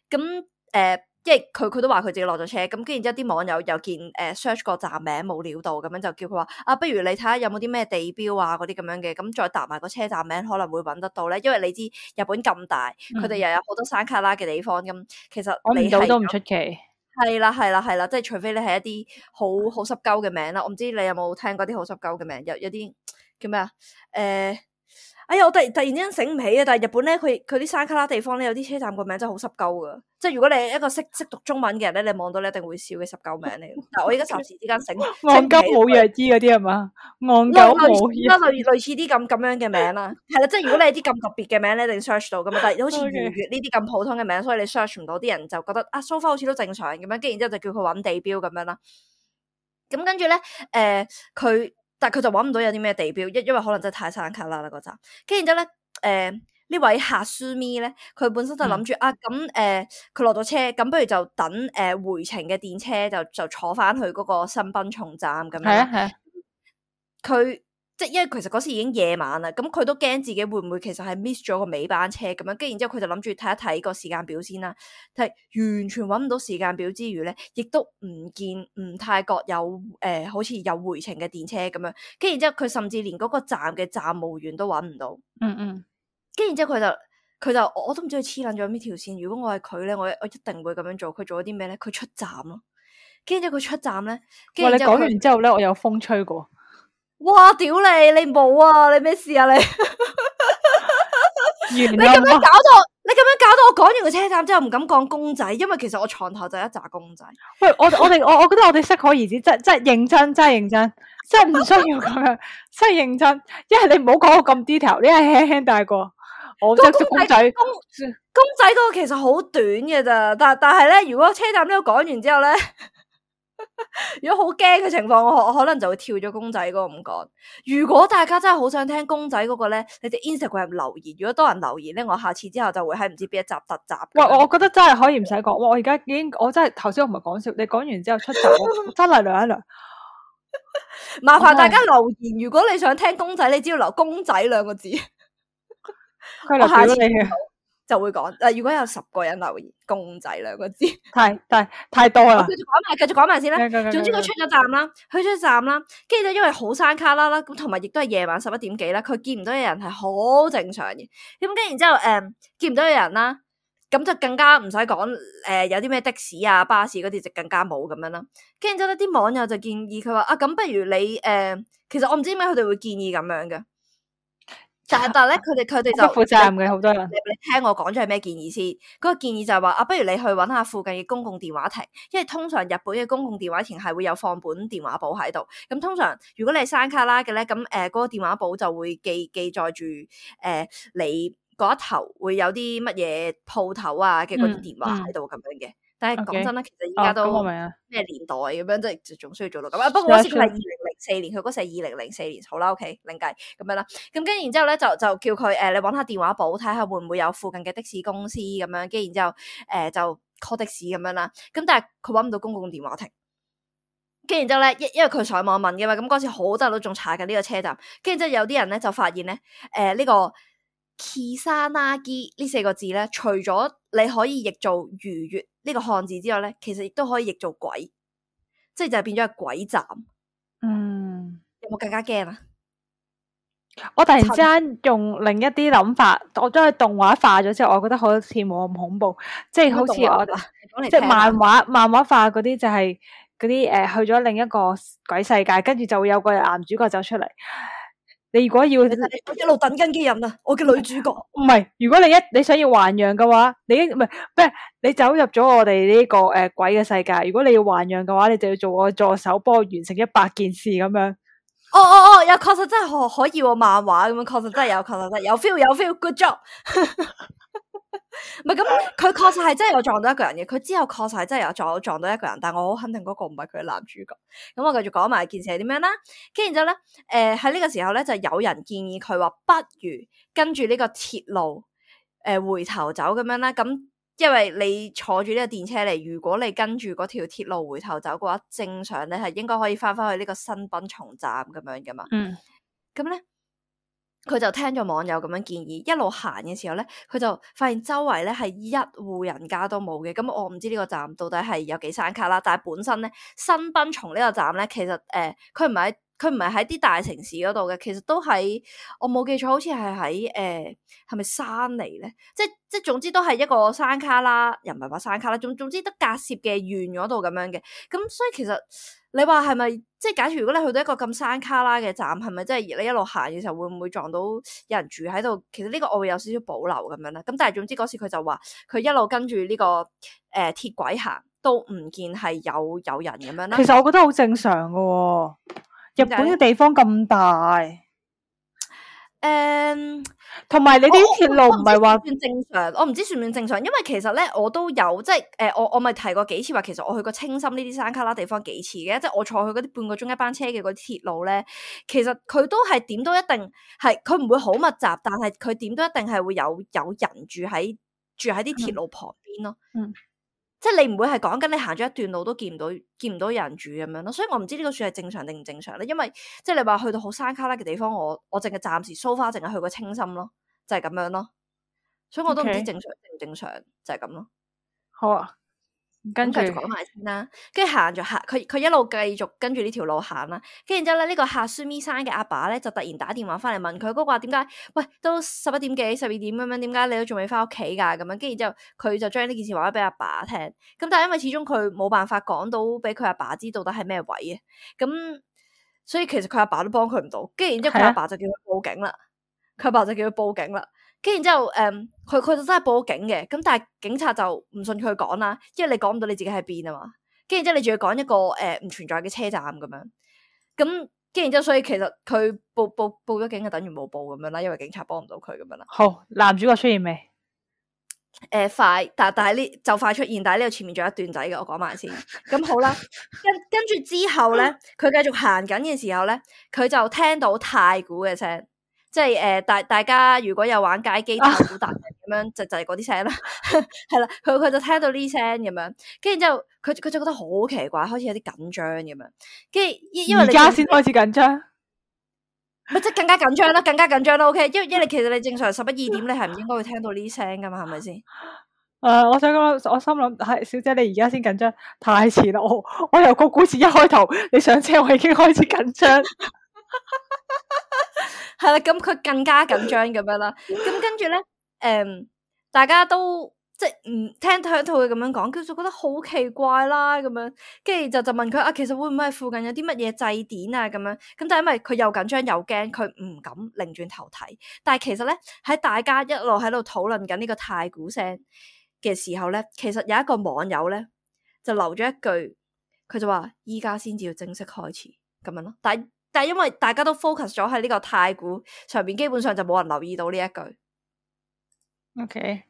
咁誒、呃，即係佢佢都話佢自己落咗車，咁跟住之後啲網友又見誒 search 個站名冇料到，咁樣就叫佢話啊，不如你睇下有冇啲咩地標啊嗰啲咁樣嘅，咁再搭埋個車站名可能會搵得到咧，因為你知日本咁大，佢哋、嗯、又有好多山卡拉嘅地方，咁其實你搵唔到都唔出奇。係啦，係啦，係啦，即係除非你係一啲好好濕鳩嘅名啦，我唔知你有冇聽過啲好濕鳩嘅名，有有啲叫咩啊？誒、呃，哎呀，我突突然之間醒唔起啊！但係日本咧，佢佢啲山卡拉地方咧，有啲車站個名真係好濕鳩噶，即係如果你係一個識識讀中文嘅人咧，你望到你一定會笑嘅濕鳩名嚟。但係我而家霎時之間醒，戇鳩冇藥醫嗰啲係嘛？戇鳩冇藥，類類似啲咁咁樣嘅名啦，係啦，即係如果你係啲咁特別嘅名咧，你一定 search 到噶嘛。但係好似如月呢啲咁普通嘅名，所以你 search 唔到，啲人就覺得啊 so far 好似都正常咁樣，跟住然之後就叫佢揾地標咁樣啦。咁跟住咧，誒、呃，佢但係佢就揾唔到有啲咩地標，因因為可能真係太山卡拉啦嗰站。跟住然之後咧，誒、呃、呢位夏蘇咪咧，佢本身就諗住、嗯、啊，咁誒佢落咗車，咁不如就等誒、呃、回程嘅電車就就坐翻去嗰個新濱松站咁樣。係啊係啊，佢。即係因為其實嗰時已經夜晚啦，咁佢都驚自己會唔會其實係 miss 咗個尾班車咁樣，跟住然之後佢就諗住睇一睇個時間表先啦。但係完全搵唔到時間表之餘咧，亦都唔見唔太覺有誒、呃，好似有回程嘅電車咁樣。跟住然之後佢甚至連嗰個站嘅站務員都搵唔到。嗯嗯。跟住然之後佢就佢就我都唔知佢黐撚咗呢條線。如果我係佢咧，我我一定會咁樣做。佢做咗啲咩咧？佢出站咯。跟住之後佢出站咧，哇！你講完之後咧，我有風吹過。哇！屌你，你冇啊！你咩事啊？你你咁樣搞到，你咁樣搞到我講完個車站之後唔敢講公仔，因為其實我床頭就一紮公仔。喂，我我哋我我覺得我哋適可而止，真真認真，真係認真，真係唔需要咁樣，真係認真。一係你唔好講到咁 detail，你係輕輕帶過。我即係公仔，公公仔嗰個其實好短嘅咋，但但係咧，如果車站呢個講完之後咧。如果好驚嘅情況，我我可能就會跳咗公仔嗰個唔講。如果大家真係好想聽公仔嗰個咧，你哋 Instagram 留言。如果多人留言咧，我下次之後就會喺唔知邊一集特集。喂，我覺得真係可以唔使講。哇，我而家已經，我真係頭先我唔係講笑，你講完之後出集，我真係涼一涼。麻煩大家留言，如果你想聽公仔，你只要留公仔兩個字。佢留表你嘅。就會講，誒，如果有十個人留言公仔兩個字，太太太多啦。繼續講埋，繼續講埋先啦。總之佢出咗站啦，去咗站啦，跟住就因為好山卡啦啦，咁同埋亦都係夜晚十一點幾啦，佢見唔到有人係好正常嘅。咁跟住然之後，誒、嗯，見唔到有人啦，咁就更加唔使講，誒、呃，有啲咩的士啊、巴士嗰啲就更加冇咁樣啦。跟住之後咧，啲網友就建議佢話啊，咁不如你誒、呃，其實我唔知點解佢哋會建議咁樣嘅。但係但係咧，佢哋佢哋就不負責任嘅好多人。你你聽我講咗係咩建議先？嗰個建議就係話啊，不如你去揾下附近嘅公共電話亭，因為通常日本嘅公共電話亭係會有放本電話簿喺度。咁通常如果你係山卡拉嘅咧，咁誒嗰個電話簿就會記記載住誒、呃、你嗰一頭會有啲乜嘢鋪頭啊嘅嗰啲電話喺度咁樣嘅。但係講真啦，其實依家都咩年代咁樣，即係仲需要做到咁啊？不過嗰時佢係二零零四年，佢嗰時係二零零四年，好啦 ，OK，另計咁樣啦。咁跟住然之後咧，就就叫佢誒、呃，你揾下電話簿睇下會唔會有附近嘅的，的士公司咁樣。跟住然之後誒、呃、就 call 的士咁樣啦。咁但係佢揾唔到公共電話亭。跟住然之後咧，因因為佢上網問嘅嘛，咁嗰時好多人都仲查緊呢個車站。跟住之後有啲人咧就發現咧，誒、呃、呢、這個 Kisanagi 呢四個字咧，除咗你可以譯做逾越呢個漢字之外咧，其實亦都可以譯做鬼，即係就係變咗係鬼站。嗯，有冇更加驚啊？我突然之間用另一啲諗法，我將佢動畫化咗之後，我覺得好似冇咁恐怖，即係好似我即係漫畫漫畫化嗰啲就係嗰啲誒去咗另一個鬼世界，跟住就會有個男主角走出嚟。你如果要我一路等緊嘅人啊，我嘅女主角唔係，如果你一你想要還陽嘅話，你唔係咩？你走入咗我哋呢、這個誒、呃、鬼嘅世界，如果你要還陽嘅話，你就要做我助手，幫我完成一百件事咁樣。哦哦哦，有確實真係可可以喎，漫畫咁樣確實真係有，確實真係有 feel 有 feel，good job。唔係咁，佢確實係真係有撞到一個人嘅，佢之後確實係真係有撞撞到一個人，但係我好肯定嗰個唔係佢嘅男主角。咁我繼續講埋件事係點樣啦。跟住之後咧，誒喺呢個時候咧，就有人建議佢話，不如跟住呢個鐵路誒、呃、回頭走咁樣啦。咁因為你坐住呢個電車嚟，如果你跟住嗰條鐵路回頭走嘅話，正常你係應該可以翻翻去呢個新濱松站咁樣噶嘛。嗯，咁咧。佢就聽咗網友咁樣建議，一路行嘅時候咧，佢就發現周圍咧係一戶人家都冇嘅。咁我唔知呢個站到底係有幾山卡啦，但係本身咧新濱松呢個站咧，其實誒佢唔係佢唔係喺啲大城市嗰度嘅，其實都喺我冇記錯，好似係喺誒係咪山嚟咧？即即總之都係一個山卡啦，又唔係話山卡啦，總總之得隔涉嘅縣嗰度咁樣嘅。咁所以其實你話係咪即係假如如果你去到一個咁山卡拉嘅站，係咪即係你一路行嘅時候會唔會撞到有人住喺度？其實呢個我會有少少保留咁樣啦。咁但係總之嗰時佢就話佢一路跟住呢、這個誒、呃、鐵軌行，都唔見係有有人咁樣啦。其實我覺得好正常噶、哦，日本嘅地方咁大。誒，同埋、um, 你啲鐵路唔係話算正常，我唔知算唔算正常，因為其實咧我都有即係誒、呃，我我咪提過幾次話，其實我去過青森呢啲山卡拉地方幾次嘅，即係我坐去嗰啲半個鐘一班車嘅嗰啲鐵路咧，其實佢都係點都一定係，佢唔會好密集，但係佢點都一定係會有有人住喺住喺啲鐵路旁邊咯。嗯。嗯即係你唔會係講緊你行咗一段路都見唔到見唔到有人住咁樣咯，所以我唔知呢個算係正常定唔正常咧。因為即係你話去到好山卡拉嘅地方，我我淨係暫時 so far 淨係去過青森咯，就係、是、咁樣咯。所以我都唔知正常定唔正常，就係、是、咁咯。好啊，跟住講埋先啦，跟住行咗行，佢佢一路繼續跟住呢條路行啦。跟住然之後咧，呢、這個客書咪山嘅阿爸咧就突然打電話翻嚟問佢，嗰個話點解？喂，都十一點幾、十二點咁樣，點解你都仲未翻屋企噶？咁樣，跟住之後佢就將呢件事話咗俾阿爸聽。咁但係因為始終佢冇辦法講到俾佢阿爸知到底係咩位嘅，咁所以其實佢阿爸都幫佢唔到。跟住然之後佢阿爸就叫佢報警啦，佢阿爸就叫佢報警啦。跟住然之後，誒、嗯，佢佢就真係報咗警嘅，咁但係警察就唔信佢講啦，因為你講唔到你自己喺邊啊嘛。跟住之後你仲要講一個誒唔、呃、存在嘅車站咁樣，咁跟住之後所以其實佢報報報咗警就等於冇報咁樣啦，因為警察幫唔到佢咁樣啦。好，男主角出現未？誒、呃，快，但但係呢就快出現，但係呢度前面仲有一段仔嘅，我講埋先。咁好啦，跟跟住之後咧，佢繼續行緊嘅時候咧，佢就聽到太鼓嘅聲。即係誒，大、呃、大家如果有玩街機太鼓達人咁樣，就就係嗰啲聲啦，係啦，佢佢就聽到呢聲咁樣，跟住之後佢佢就覺得好奇怪，開始有啲緊張咁樣，跟住因為而家先開始緊張，咪即係更加緊張啦，更加緊張啦。O K，因為因為其實你正常十一二點你係唔應該會聽到呢啲聲噶嘛，係咪先？誒、uh, 我想講，我心諗係小姐，你而家先緊張，太遲啦！我我由個故事一開頭，你上車我已經開始緊張。係啦，咁佢更加緊張咁樣啦。咁跟住咧，誒、嗯，大家都即係唔聽聽到佢咁樣講，佢就覺得好奇怪啦。咁樣，跟住就就問佢啊，其實會唔會係附近有啲乜嘢祭典啊？咁樣，咁但係因為佢又緊張又驚，佢唔敢擰轉頭睇。但係其實咧，喺大家一路喺度討論緊呢個太鼓聲嘅時候咧，其實有一個網友咧就留咗一句，佢就話依家先至要正式開始咁樣咯。但係但係因為大家都 focus 咗喺呢個太鼓上邊，基本上就冇人留意到呢一句。OK，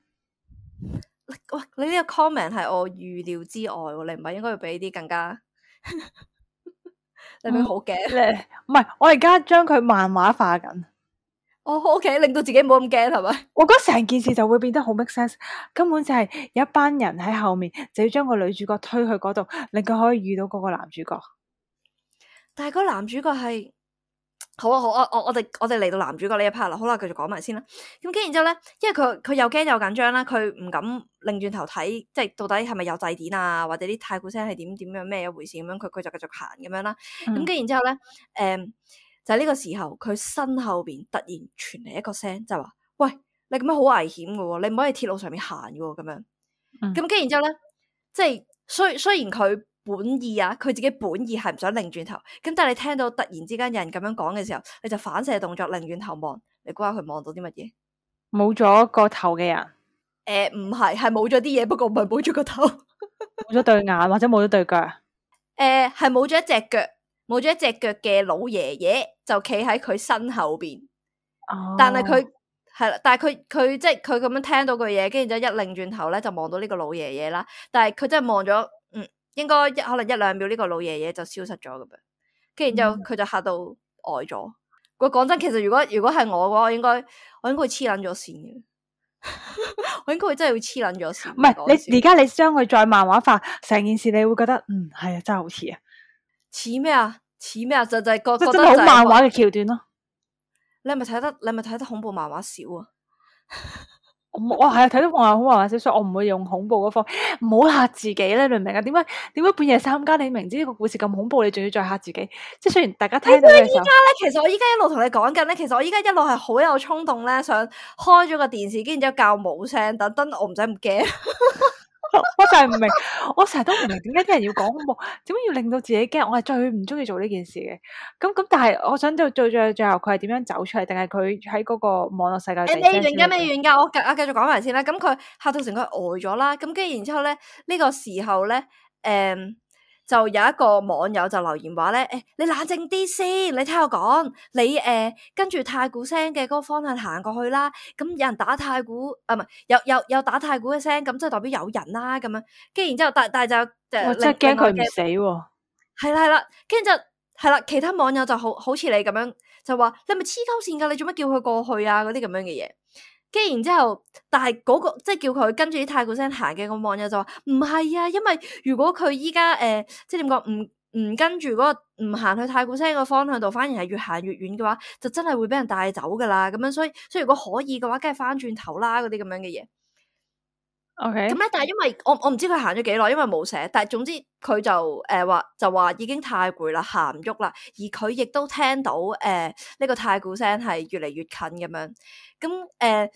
喂，你呢個 comment 係我預料之外，你唔係應該要俾啲更加？你咪好驚？唔係，我而家將佢漫畫化緊。哦、oh，OK， 令到自己冇咁驚係咪？我覺得成件事就會變得好 make sense，根本就係有一班人喺後面，就要將個女主角推去嗰度，令佢可以遇到嗰個男主角。但係嗰個男主角係好啊好啊，我我哋我哋嚟到男主角呢一 part 啦，好啦，繼續講埋先啦。咁跟然之後咧，因為佢佢又驚又緊張啦，佢唔敢擰轉頭睇，即係到底係咪有祭典啊，或者啲太鼓聲係點點樣咩一回事咁樣，佢佢就繼續行咁樣啦。咁跟然之後咧，誒、嗯。就係呢個時候，佢身後邊突然傳嚟一個聲，就話：喂，你咁樣好危險噶喎，你唔可以喺鐵路上面行噶喎，咁樣。咁跟住然之後咧，即係雖雖然佢本意啊，佢自己本意係唔想擰轉頭，咁但係你聽到突然之間有人咁樣講嘅時候，你就反射動作擰轉頭望，你估下佢望到啲乜嘢？冇咗個頭嘅人。誒、呃，唔係，係冇咗啲嘢，不過唔係冇咗個頭，冇咗對眼或者冇咗對腳。誒、呃，係冇咗一隻腳。冇咗一隻腳嘅老爺爺就企喺佢身後邊，哦、但係佢係啦，但係佢佢即係佢咁樣聽到句嘢，跟住就一擰轉頭咧就望到呢個老爺爺啦。但係佢真係望咗，嗯，應該一可能一兩秒呢個老爺爺就消失咗咁樣，跟住之後佢就嚇到呆咗。我講真，其實如果如果係我嘅話，我應該我應該會黐撚咗線嘅，我應該會真係會黐撚咗線。唔係你而家你將佢再漫畫化成件事，你會覺得嗯係啊，真係好似啊。似咩啊？似咩啊？就就係覺覺得好漫畫嘅橋段咯。你係咪睇得？你係咪睇得恐怖漫畫少啊？我我係啊，睇到漫畫好漫畫少，所以我唔會用恐怖嗰方，唔好嚇自己咧，你明唔明啊？點解點解半夜三更你明知呢個故事咁恐怖，你仲要再嚇自己？即係雖然大家聽到嘅時候，依家咧，其實我依家一路同你講緊咧，其實我依家一路係好有衝動咧，想開咗個電視，跟住之後校冇聲，等等我唔使咁驚。我就係唔明，我成日都唔明點解啲人要講恐怖，點解要令到自己驚？我係最唔中意做呢件事嘅。咁咁，但係我想知道最最最後佢係點樣走出嚟，定係佢喺嗰個網絡世界？誒，未完噶，未完噶，我繼我繼續講埋先啦。咁佢嚇到成佢呆咗啦。咁跟住然之後咧，呢個時候咧，誒。就有一個網友就留言話咧，誒、欸，你冷靜啲先，你聽我講，你誒、呃、跟住太鼓聲嘅嗰個方向行過去啦。咁有人打太鼓，啊唔係有有有打太鼓嘅聲，咁即係代表有人啦。咁樣，跟住然之後，但但係就我真係驚佢唔死喎、啊。係啦係啦，跟住就係啦，其他網友就好好似你咁樣就話，你係咪黐鳩線噶？你做乜叫佢過去啊？嗰啲咁樣嘅嘢。跟住然之後，但係嗰、那個即係叫佢跟住啲太鼓聲行嘅個網友就話唔係啊，因為如果佢依家誒即係點講，唔唔跟住嗰、那個唔行去太鼓聲個方向度，反而係越行越遠嘅話，就真係會俾人帶走噶啦。咁樣所以所以如果可以嘅話，梗係翻轉頭啦，嗰啲咁樣嘅嘢。OK。咁咧，但係因為我我唔知佢行咗幾耐，因為冇寫。但係總之佢就誒話、呃、就話已經太攰啦，行唔喐啦。而佢亦都聽到誒呢、呃這個太鼓聲係越嚟越近咁樣。咁誒、呃，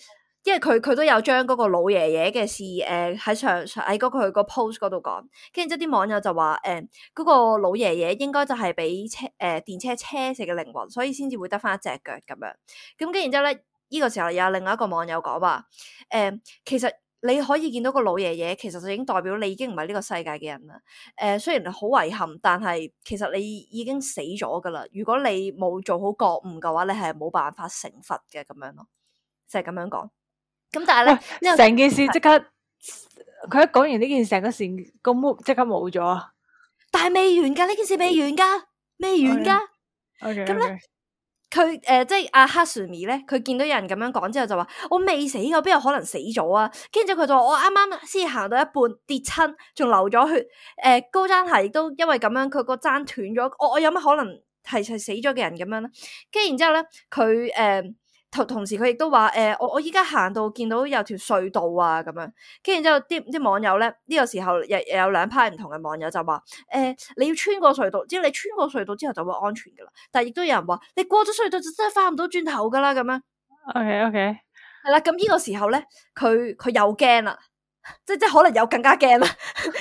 因為佢佢都有將嗰個老爺爺嘅事誒喺上喺嗰佢個 post 嗰度講。跟住之後啲網友就話誒嗰個老爺爺應該就係俾車誒、呃、電車車死嘅靈魂，所以先至會得翻一隻腳咁樣。咁跟住之後咧，呢、這個時候有另外一個網友講話誒，其實。你可以見到個老爺爺，其實就已經代表你已經唔係呢個世界嘅人啦。誒、呃，雖然好遺憾，但係其實你已經死咗噶啦。如果你冇做好覺悟嘅話，你係冇辦法成佛嘅咁樣咯，就係、是、咁樣講。咁但係咧，成件事即刻，佢是一講完呢件成個事個 mood 即刻冇咗。但係未完噶，呢件事未完噶，未完噶。OK，咁咧。佢誒、呃、即係阿哈蘇咪咧，佢見到有人咁樣講之後就話：我未死㗎，邊有可能死咗啊？跟住佢就話：我啱啱先行到一半跌親，仲流咗血。誒、呃、高踭鞋亦都因為咁樣，佢個踭斷咗。我我有乜可能係係死咗嘅人咁樣啦。跟住然之後咧，佢誒同同時佢亦都話誒，我我依家行到見到有條隧道啊咁樣。跟住然之後啲啲網友咧呢、呢個時候又有兩派唔同嘅網友就話誒、呃，你要穿過隧道，只要你穿過隧道之後就會安全噶啦。但係亦都有人話你過咗隧道就真係翻唔到轉頭噶啦咁樣。OK OK。係啦，咁呢個時候咧，佢佢又驚啦，即即可能有更加驚啦，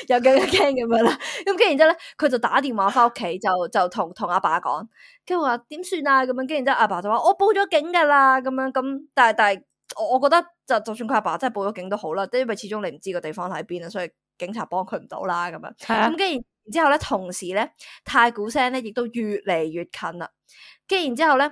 又更加驚咁樣啦。咁跟住然之後咧，佢就打電話翻屋企，就就同同阿爸講，跟住話點算啊咁樣。跟住然之後阿爸就話我報咗警噶啦咁樣。咁但係但係我我覺得就就算佢阿爸真係報咗警都好啦，即因為始終你唔知個地方喺邊啊，所以警察幫佢唔到啦咁樣。咁跟住然之後咧，同時咧太鼓聲咧亦都越嚟越近啦。跟住然之後咧。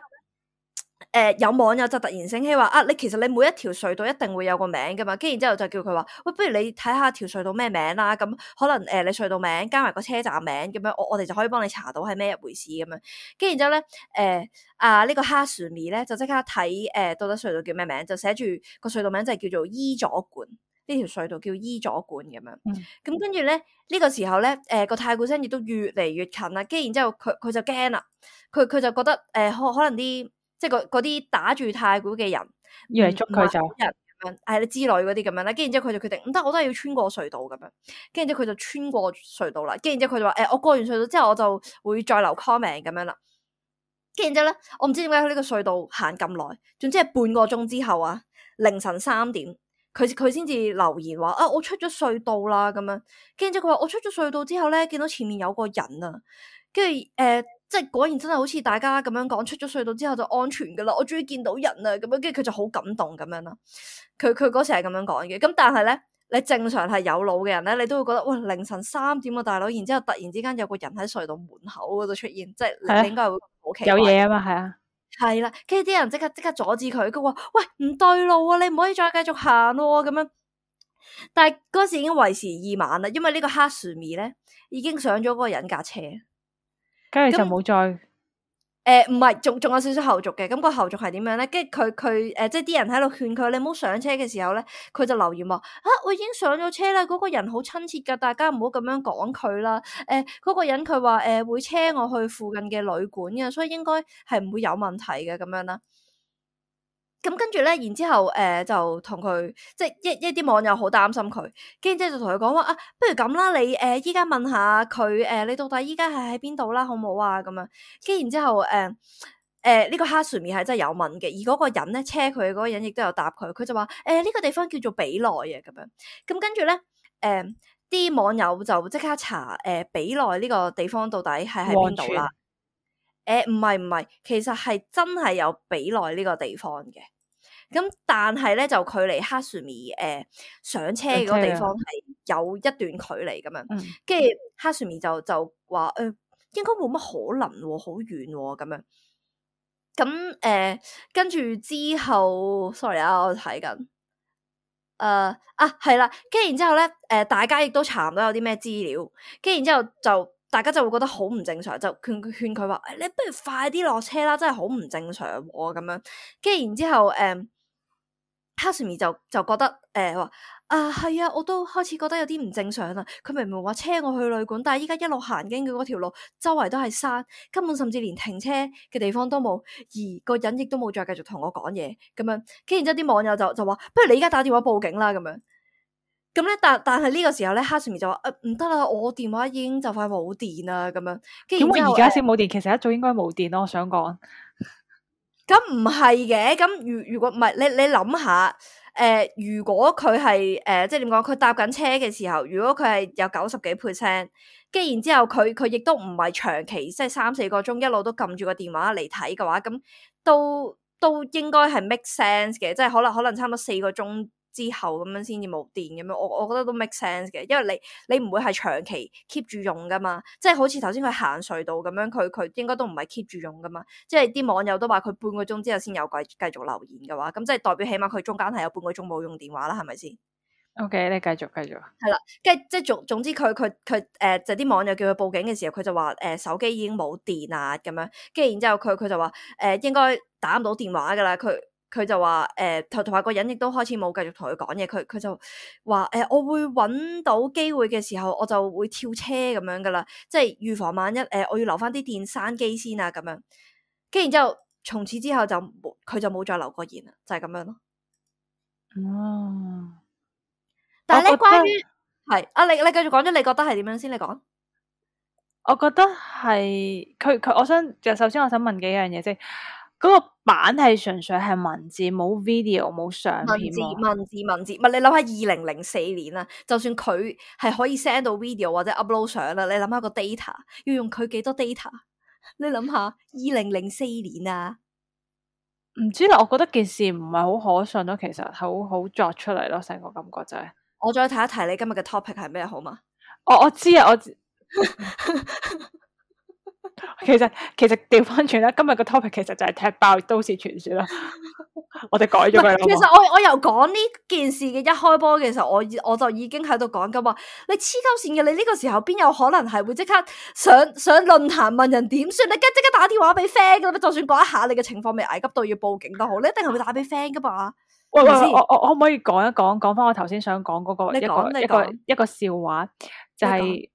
誒、呃，有網友就突然醒起話啊，你其實你每一條隧道一定會有個名噶嘛，跟住然之後就叫佢話，喂，不如你睇下條隧道咩名啦，咁可能誒、呃、你隧道名加埋個車站名咁樣，我我哋就可以幫你查到係咩一回事咁樣。跟住然之後咧，誒、呃、啊、這個、呢個哈樹咪咧就即刻睇誒、呃、到底隧道叫咩名，就寫住個隧道名就係叫做伊佐館，呢條隧道叫伊佐館咁樣。咁跟住咧呢、這個時候咧，誒、呃、個太鼓聲亦都越嚟越近啦，跟住然之後佢佢就驚啦，佢佢就覺得誒、呃、可可能啲。即係嗰啲打住太鼓嘅人，以為捉佢走人咁樣，係你之類嗰啲咁樣啦。跟住然之後佢就決定唔得，我都係要穿過隧道咁樣。跟住之後佢就穿過隧道啦。跟住然之後佢就話：誒、欸，我過完隧道之後，我就會再留 comment 咁樣啦。跟住之後咧，我唔知點解喺呢個隧道行咁耐，總之係半個鐘之後啊，凌晨三點，佢佢先至留言話：啊，我出咗隧道啦咁樣。跟住之後佢話：我出咗隧道之後咧，見到前面有個人啊。跟住誒。即係果然真係好似大家咁樣講，出咗隧道之後就安全噶啦，我終於見到人啦咁樣，跟住佢就好感動咁樣啦。佢佢嗰時係咁樣講嘅，咁但係咧，你正常係有腦嘅人咧，你都會覺得喂，凌晨三點啊大佬，然之後突然之間有個人喺隧道門口嗰度出現，即係你應該係會好奇怪。有嘢啊嘛，係啊，係啦，跟住啲人即刻即刻阻止佢，佢話喂，唔對路啊，你唔可以再繼續行咯咁樣。但係嗰時已經為時已晚啦，因為呢個哈樹咪咧已經上咗嗰個人架車。跟住就冇再誒，唔係，仲仲有少少後續嘅。咁個後續係點樣咧？跟住佢佢誒，即係啲人喺度勸佢，你唔好上車嘅時候咧，佢就留言話：啊，我已經上咗車啦，嗰個人好親切噶，大家唔好咁樣講佢啦。誒，嗰個人佢話誒會車我去附近嘅旅館嘅，所以應該係唔會有問題嘅咁樣啦。咁跟住咧，然之後誒、呃、就同佢，即係一一啲網友好擔心佢，跟住之後就同佢講話啊，不如咁啦，你誒依家問下佢誒、呃，你到底依家係喺邊度啦，好唔好啊？咁樣，跟住然之後誒誒呢個哈樹咪係真係有問嘅，而嗰個人咧車佢嗰個人亦都有答佢，佢就話誒呢個地方叫做比內啊，咁樣，咁跟住咧誒啲網友就即刻查誒、呃、比內呢個地方到底係喺邊度啦。誒，唔係唔係，其實係真係有比內呢個地方嘅，咁但係咧就距離哈樹咪誒上車嗰個地方係有一段距離咁樣，跟住、嗯、哈樹咪就就話誒、呃，應該冇乜可能、啊，好遠咁、啊、樣。咁誒，跟、呃、住之後，sorry 啊，我睇緊，誒、呃、啊係啦，跟住然之後咧，誒、呃、大家亦都查唔到有啲咩資料，跟住然之後就。大家就會覺得好唔正常，就勸勸佢話：你不如快啲落車啦，真係好唔正常喎咁樣。跟住然之後，誒、嗯，哈樹咪就就覺得誒話、呃、啊係啊，我都開始覺得有啲唔正常啦。佢明明話車我去旅館，但係依家一路行經嘅嗰條路，周圍都係山，根本甚至連停車嘅地方都冇，而個人亦都冇再繼續同我講嘢咁樣。跟住然之後啲網友就就話：不如你依家打電話報警啦咁樣。咁咧，但但係呢個時候咧，哈樹咪就話：誒唔得啦，我電話已經就快冇電啦，咁樣。點解而家先冇電？其實一早應該冇電咯。我想講，咁唔係嘅。咁如如果唔係，你你諗下，誒、呃，如果佢係誒，即係點講？佢搭緊車嘅時候，如果佢係有九十幾 percent，跟然之後佢佢亦都唔係長期即係三四個鐘一路都撳住個電話嚟睇嘅話，咁都都應該係 make sense 嘅，即係可能可能差唔多四個鐘。之後咁樣先至冇電咁樣，我我覺得都 make sense 嘅，因為你你唔會係長期 keep 住用噶嘛，即係好似頭先佢行隧道咁樣，佢佢應該都唔係 keep 住用噶嘛，即係啲網友都話佢半個鐘之後先有繼繼續留言嘅話，咁即係代表起碼佢中間係有半個鐘冇用電話啦，係咪先 ？OK，你繼續繼續。係啦，跟住即係總總之佢佢佢誒就啲網友叫佢報警嘅時候，佢就話誒、呃、手機已經冇電啊咁樣，跟住然之後佢佢就話誒、呃、應該打唔到電話噶啦，佢。佢就話誒，同同埋個人亦都開始冇繼續同佢講嘢，佢佢就話誒、呃，我會揾到機會嘅時候，我就會跳車咁樣噶啦，即係預防萬一誒、呃，我要留翻啲電閂機先啊，咁樣。跟然之後，從此之後就冇，佢就冇再留過言啦，就係、是、咁樣咯。哦，但係咧，關於係啊，你你繼續講咗，你覺得係點樣先？你講。我覺得係佢佢，我想就首先我想問幾樣嘢先。嗰、那個版係純粹係文字，冇 video 冇相片。文字文字文字，唔係你諗下二零零四年啊，就算佢係可以 send 到 video 或者 upload 相啦，你諗下個 data 要用佢幾多 data？你諗下二零零四年啊，唔知啦，我覺得件事唔係好可信咯，其實好好作出嚟咯，成個感覺就係、是。我再提一提你今日嘅 topic 係咩好嘛？我我知啊，我知。其實其實調翻轉啦，今日個 topic 其實就係踢爆都市傳說啦。我哋改咗佢啦。其實我我由講呢件事嘅一開波嘅時候，我我就已經喺度講緊話，你黐鳩線嘅，你呢個時候邊有可能係會即刻上上論壇問人點算？你梗即刻打電話俾 friend 噶啦，就算嗰一下你嘅情況未危急到要報警都好，你一定係會打俾 friend 噶嘛。喂喂，我我我可唔可以講一講講翻我頭先想講嗰個一個一個一個笑話，就係、是。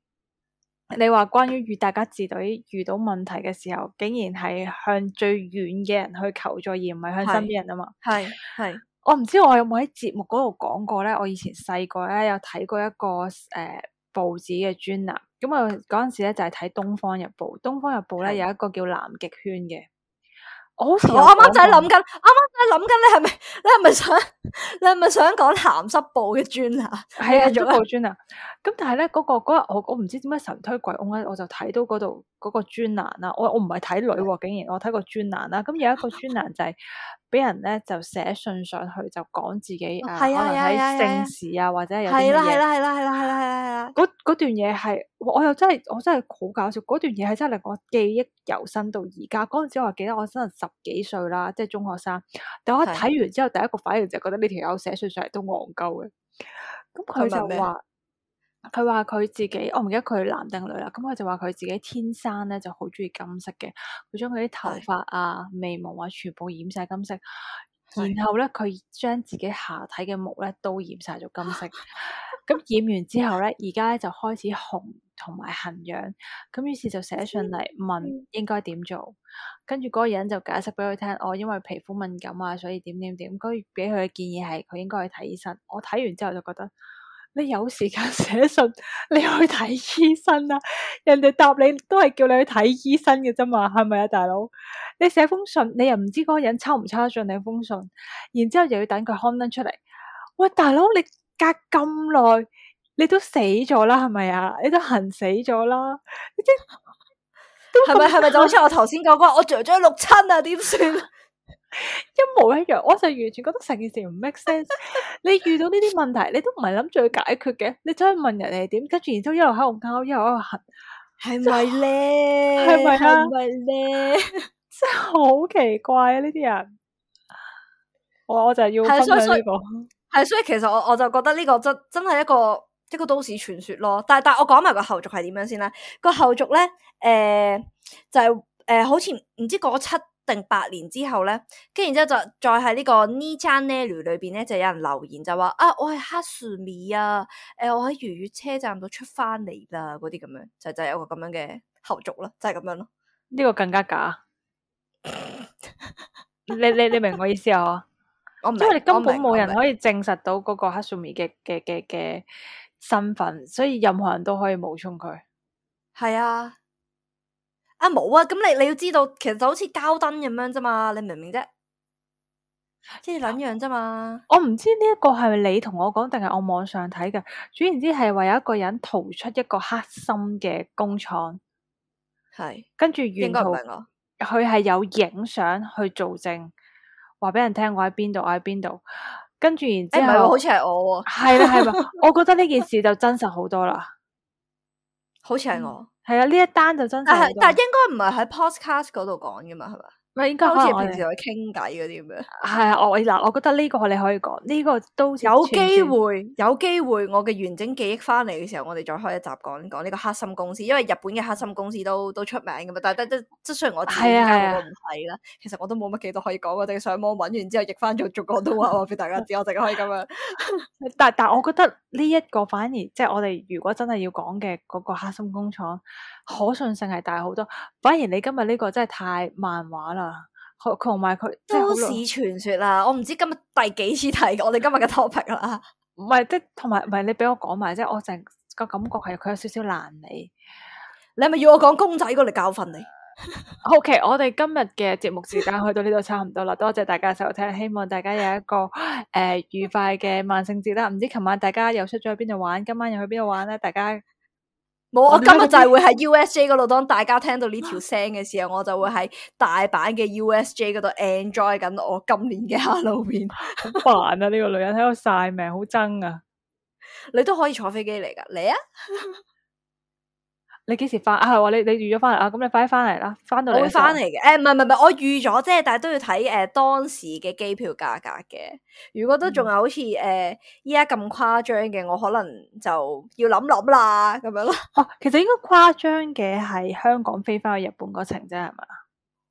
你話關於與大家自隊遇到問題嘅時候，竟然係向最遠嘅人去求助，而唔係向身邊人啊嘛？係係，我唔知我有冇喺節目嗰度講過咧。我以前細個咧有睇過一個誒、呃、報紙嘅專欄，咁啊嗰陣時咧就係睇《東方日報》。《東方日報》咧有一個叫南極圈嘅。我好似我啱啱就喺諗緊，啱啱就喺諗緊，你係咪你係咪想你係咪想講鹹濕報嘅專欄？係啊，鹹濕報專欄。咁但係咧嗰個嗰日我我唔知點解神推鬼翁咧，我就睇到嗰度嗰個專欄啦。我我唔係睇女喎，竟然我睇個專欄啦。咁有一個專欄就係俾人咧就寫信上去，就講自己誒、呃、可能喺性事啊，或者係有啲嘢。係啦係啦係啦係啦係啦係啦。嗰嗰段嘢係我又真係我真係好搞笑。嗰段嘢係真係令我記憶猶新到而家。嗰陣時我記得我真係十幾歲啦，即係中學生。但我一睇完之後，第一個反應就覺得呢條友寫信上嚟都戇鳩嘅。咁佢就話。佢話佢自己，我唔記得佢男定女啦。咁佢就話佢自己天生咧就好中意金色嘅，佢將佢啲頭髮啊、眉毛啊全部染晒金色，然後咧佢將自己下體嘅毛咧都染晒咗金色。咁染完之後咧，而家咧就開始紅同埋痕癢，咁於是就寫信嚟問應該點做。跟住嗰個人就解釋俾佢聽，我、哦、因為皮膚敏感啊，所以點點點。跟住俾佢嘅建議係佢應該去睇醫生。我睇完之後就覺得。你有時間寫信，你去睇醫生啊？人哋答你都係叫你去睇醫生嘅啫嘛，係咪啊，大佬？你寫封信，你又唔知嗰個人抽唔抽得進你封信，然之後又要等佢刊登出嚟。喂，大佬，你隔咁耐，你都死咗啦，係咪啊？你都痕死咗啦，你即係咪係咪就好似我頭先講嗰，我著咗六親啊，點算？一模一樣，我就完全覺得成件事唔 make sense。你遇到呢啲問題，你都唔係諗住去解決嘅，你走去問人哋點，跟住然之後一路喺度拗，一路喺度痕，係咪咧？係咪啊？係咪咧？真係好奇怪啊！呢啲人，我我就係要分享呢個。係，所以其實我我就覺得呢個真真係一個一個都市傳說咯。但係但係我講埋個後續係點樣先啦？個後續咧，誒、呃、就係、是、誒、呃、好似唔知過咗七定八年之後咧，跟住然之後就再喺呢個 Ni Channel 裏邊咧，就有人留言就話啊，我係黑樹米啊，誒、呃，我喺愉悅車站度出翻嚟啦，嗰啲咁樣就就有個咁樣嘅後續啦，就係、是、咁樣咯。呢個更加假。你你你明我意思啊？我唔因為你根本冇人可以證實到嗰個黑樹米嘅嘅嘅嘅身份，所以任何人都可以冒充佢。係啊。啊冇啊，咁你你要知道，其實就好似膠燈咁樣啫嘛，你明唔明啫？即係兩樣啫嘛。我唔知呢一個係咪你同我講，定係我網上睇嘅。總言之係話有一個人逃出一個黑心嘅工廠，係跟住沿途佢係有影相去做證，話俾人聽我喺邊度，我喺邊度。跟住然之後，誒唔係，好似係我喎。係啦係嘛，我覺得呢件事就真實好多啦。好似係我。係啊，呢一單就真實。但係但係應該唔係喺 podcast 嗰度講噶嘛，係嘛？咪應該好似平時可能我哋去傾偈嗰啲咁樣。係啊，我嗱，我覺得呢個你可以講，呢、個都好似有串機串會，有機會，我嘅完整記憶翻嚟嘅時候，我哋再開一集講講呢個黑心公司，因為日本嘅黑心公司都都出名噶嘛。但係即即雖然我自己依係啊係啊家嗰個唔係啦，其實我都冇乜幾多可以講，我淨係上網揾完之後譯翻做做廣東話話俾大家知，我淨係可以咁樣。但但我覺得呢一個反而即係我哋如果真係要講嘅嗰個黑心工廠，可信性係大好多。反而你今日呢個真係太漫畫啦，佢同埋佢即係好都市傳說啦，我唔知今日第幾次提我哋今日嘅 topic 啦。唔係即係同埋唔係你俾我講埋即係我成個感覺係佢有少少爛尾。你係咪要我講公仔過嚟教訓你？ OK，我哋今日嘅節目時間去到呢度差唔多啦，多謝大家收聽，希望大家有一個誒、呃、愉快嘅萬聖節啦。唔知琴晚大家又出咗去邊度玩，今晚又去邊度玩咧？大家冇，我今日我哋呢就係會喺 U S J 嗰度，當大家聽到呢條聲嘅時候，我就會喺大阪嘅 U S J 嗰度 enjoy 緊我今年嘅 Halloween。好煩啊！呢、個女人喺度晒命，好憎啊！你都可以坐飛機嚟噶，嚟啊！你幾時翻啊？係喎，你你預咗翻嚟啊？咁你快啲翻嚟啦！翻到嚟我會嘅時候翻嚟嘅。誒，唔係唔係唔係，我預咗啫，但係都要睇誒、呃、當時嘅機票價格嘅。如果都仲係好似誒依家咁誇張嘅，我可能就要諗諗啦，咁樣咯。哦，其實應該誇張嘅係香港飛翻去日本嗰程啫，係嘛？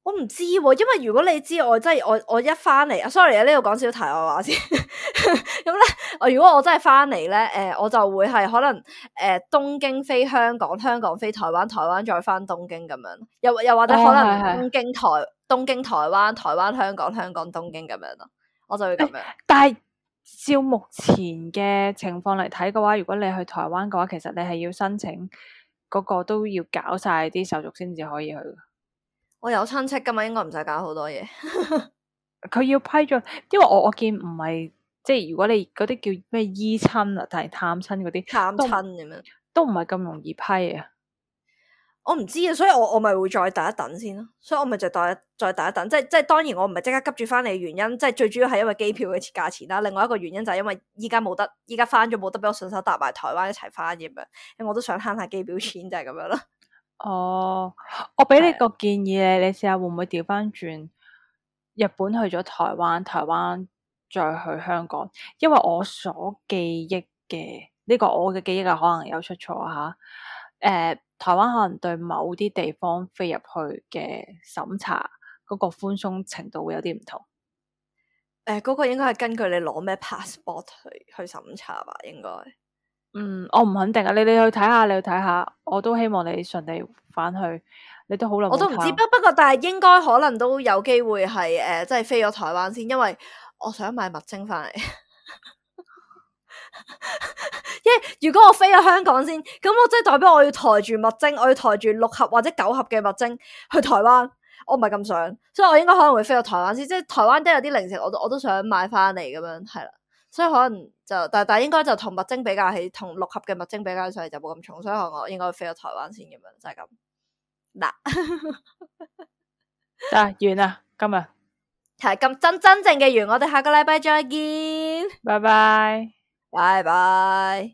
我唔知喎、因為如果你知我真係我我一翻嚟啊，sorry 啊，呢度講少題外話先。咁咧，我如果我真係翻嚟咧，誒、呃，我就會係可能誒、呃、東京飛香港，香港飛台灣，台灣再翻東京咁樣，又又或者可能哦係係東京台東京台灣，台灣香港，香港東京咁樣咯，我就會咁樣。但係照目前嘅情況嚟睇嘅話，如果你去台灣嘅話，其實你係要申請嗰個都要搞晒啲手續先至可以去。我有親戚噶嘛，應該唔使搞好多嘢。佢要批准，因為我我見唔係即係如果你嗰啲叫咩依親啊，定係探親嗰啲，探都親咁樣，都唔係咁容易批啊。我唔知啊，所以我我咪會再等一等先咯。所以我咪就再再等一等，即係即係當然我唔係即刻急住翻嚟嘅原因，即係最主要係因為機票嘅價錢啦。另外一個原因就係因為依家冇得，依家翻咗冇得俾我順手搭埋台灣一齊翻咁樣，因為我都想慳下機票錢，就係咁樣咯。哦，我俾你係個建議你，你試下會唔會調翻轉日本去咗台灣，台灣再去香港？因為我所記憶嘅呢個我嘅記憶啊，可能有出錯吓。誒、台灣可能對某啲地方飛入去嘅審查嗰個寬鬆程度會有啲唔同。誒，嗰個應該係根據你攞咩 passport 去去審查吧，應該。嗯，我唔肯定啊，你你去睇下，你去睇下，我都希望你順利翻去。你都好耐冇我都唔知，睇不不過但係應該可能都有機會係誒、呃，即係飛咗台灣先，因為我想買物精翻嚟。因為如果我飛咗香港先，咁我即係代表我要抬住物精，我要抬住六盒或者九盒嘅物精去台灣，我唔係咁想，所以我應該可能會飛到台灣先，即係台灣都有啲零食，我都我都想買翻嚟咁樣，係啦，所以可能就但但係應該就同物精比較起，同六盒嘅物精比較起上嚟就冇咁重，所以可能我應該會飛到台灣先咁樣，就係咁嗱。得完啦，今日係咁真真正嘅完，我哋下個禮拜再見，拜拜。拜拜。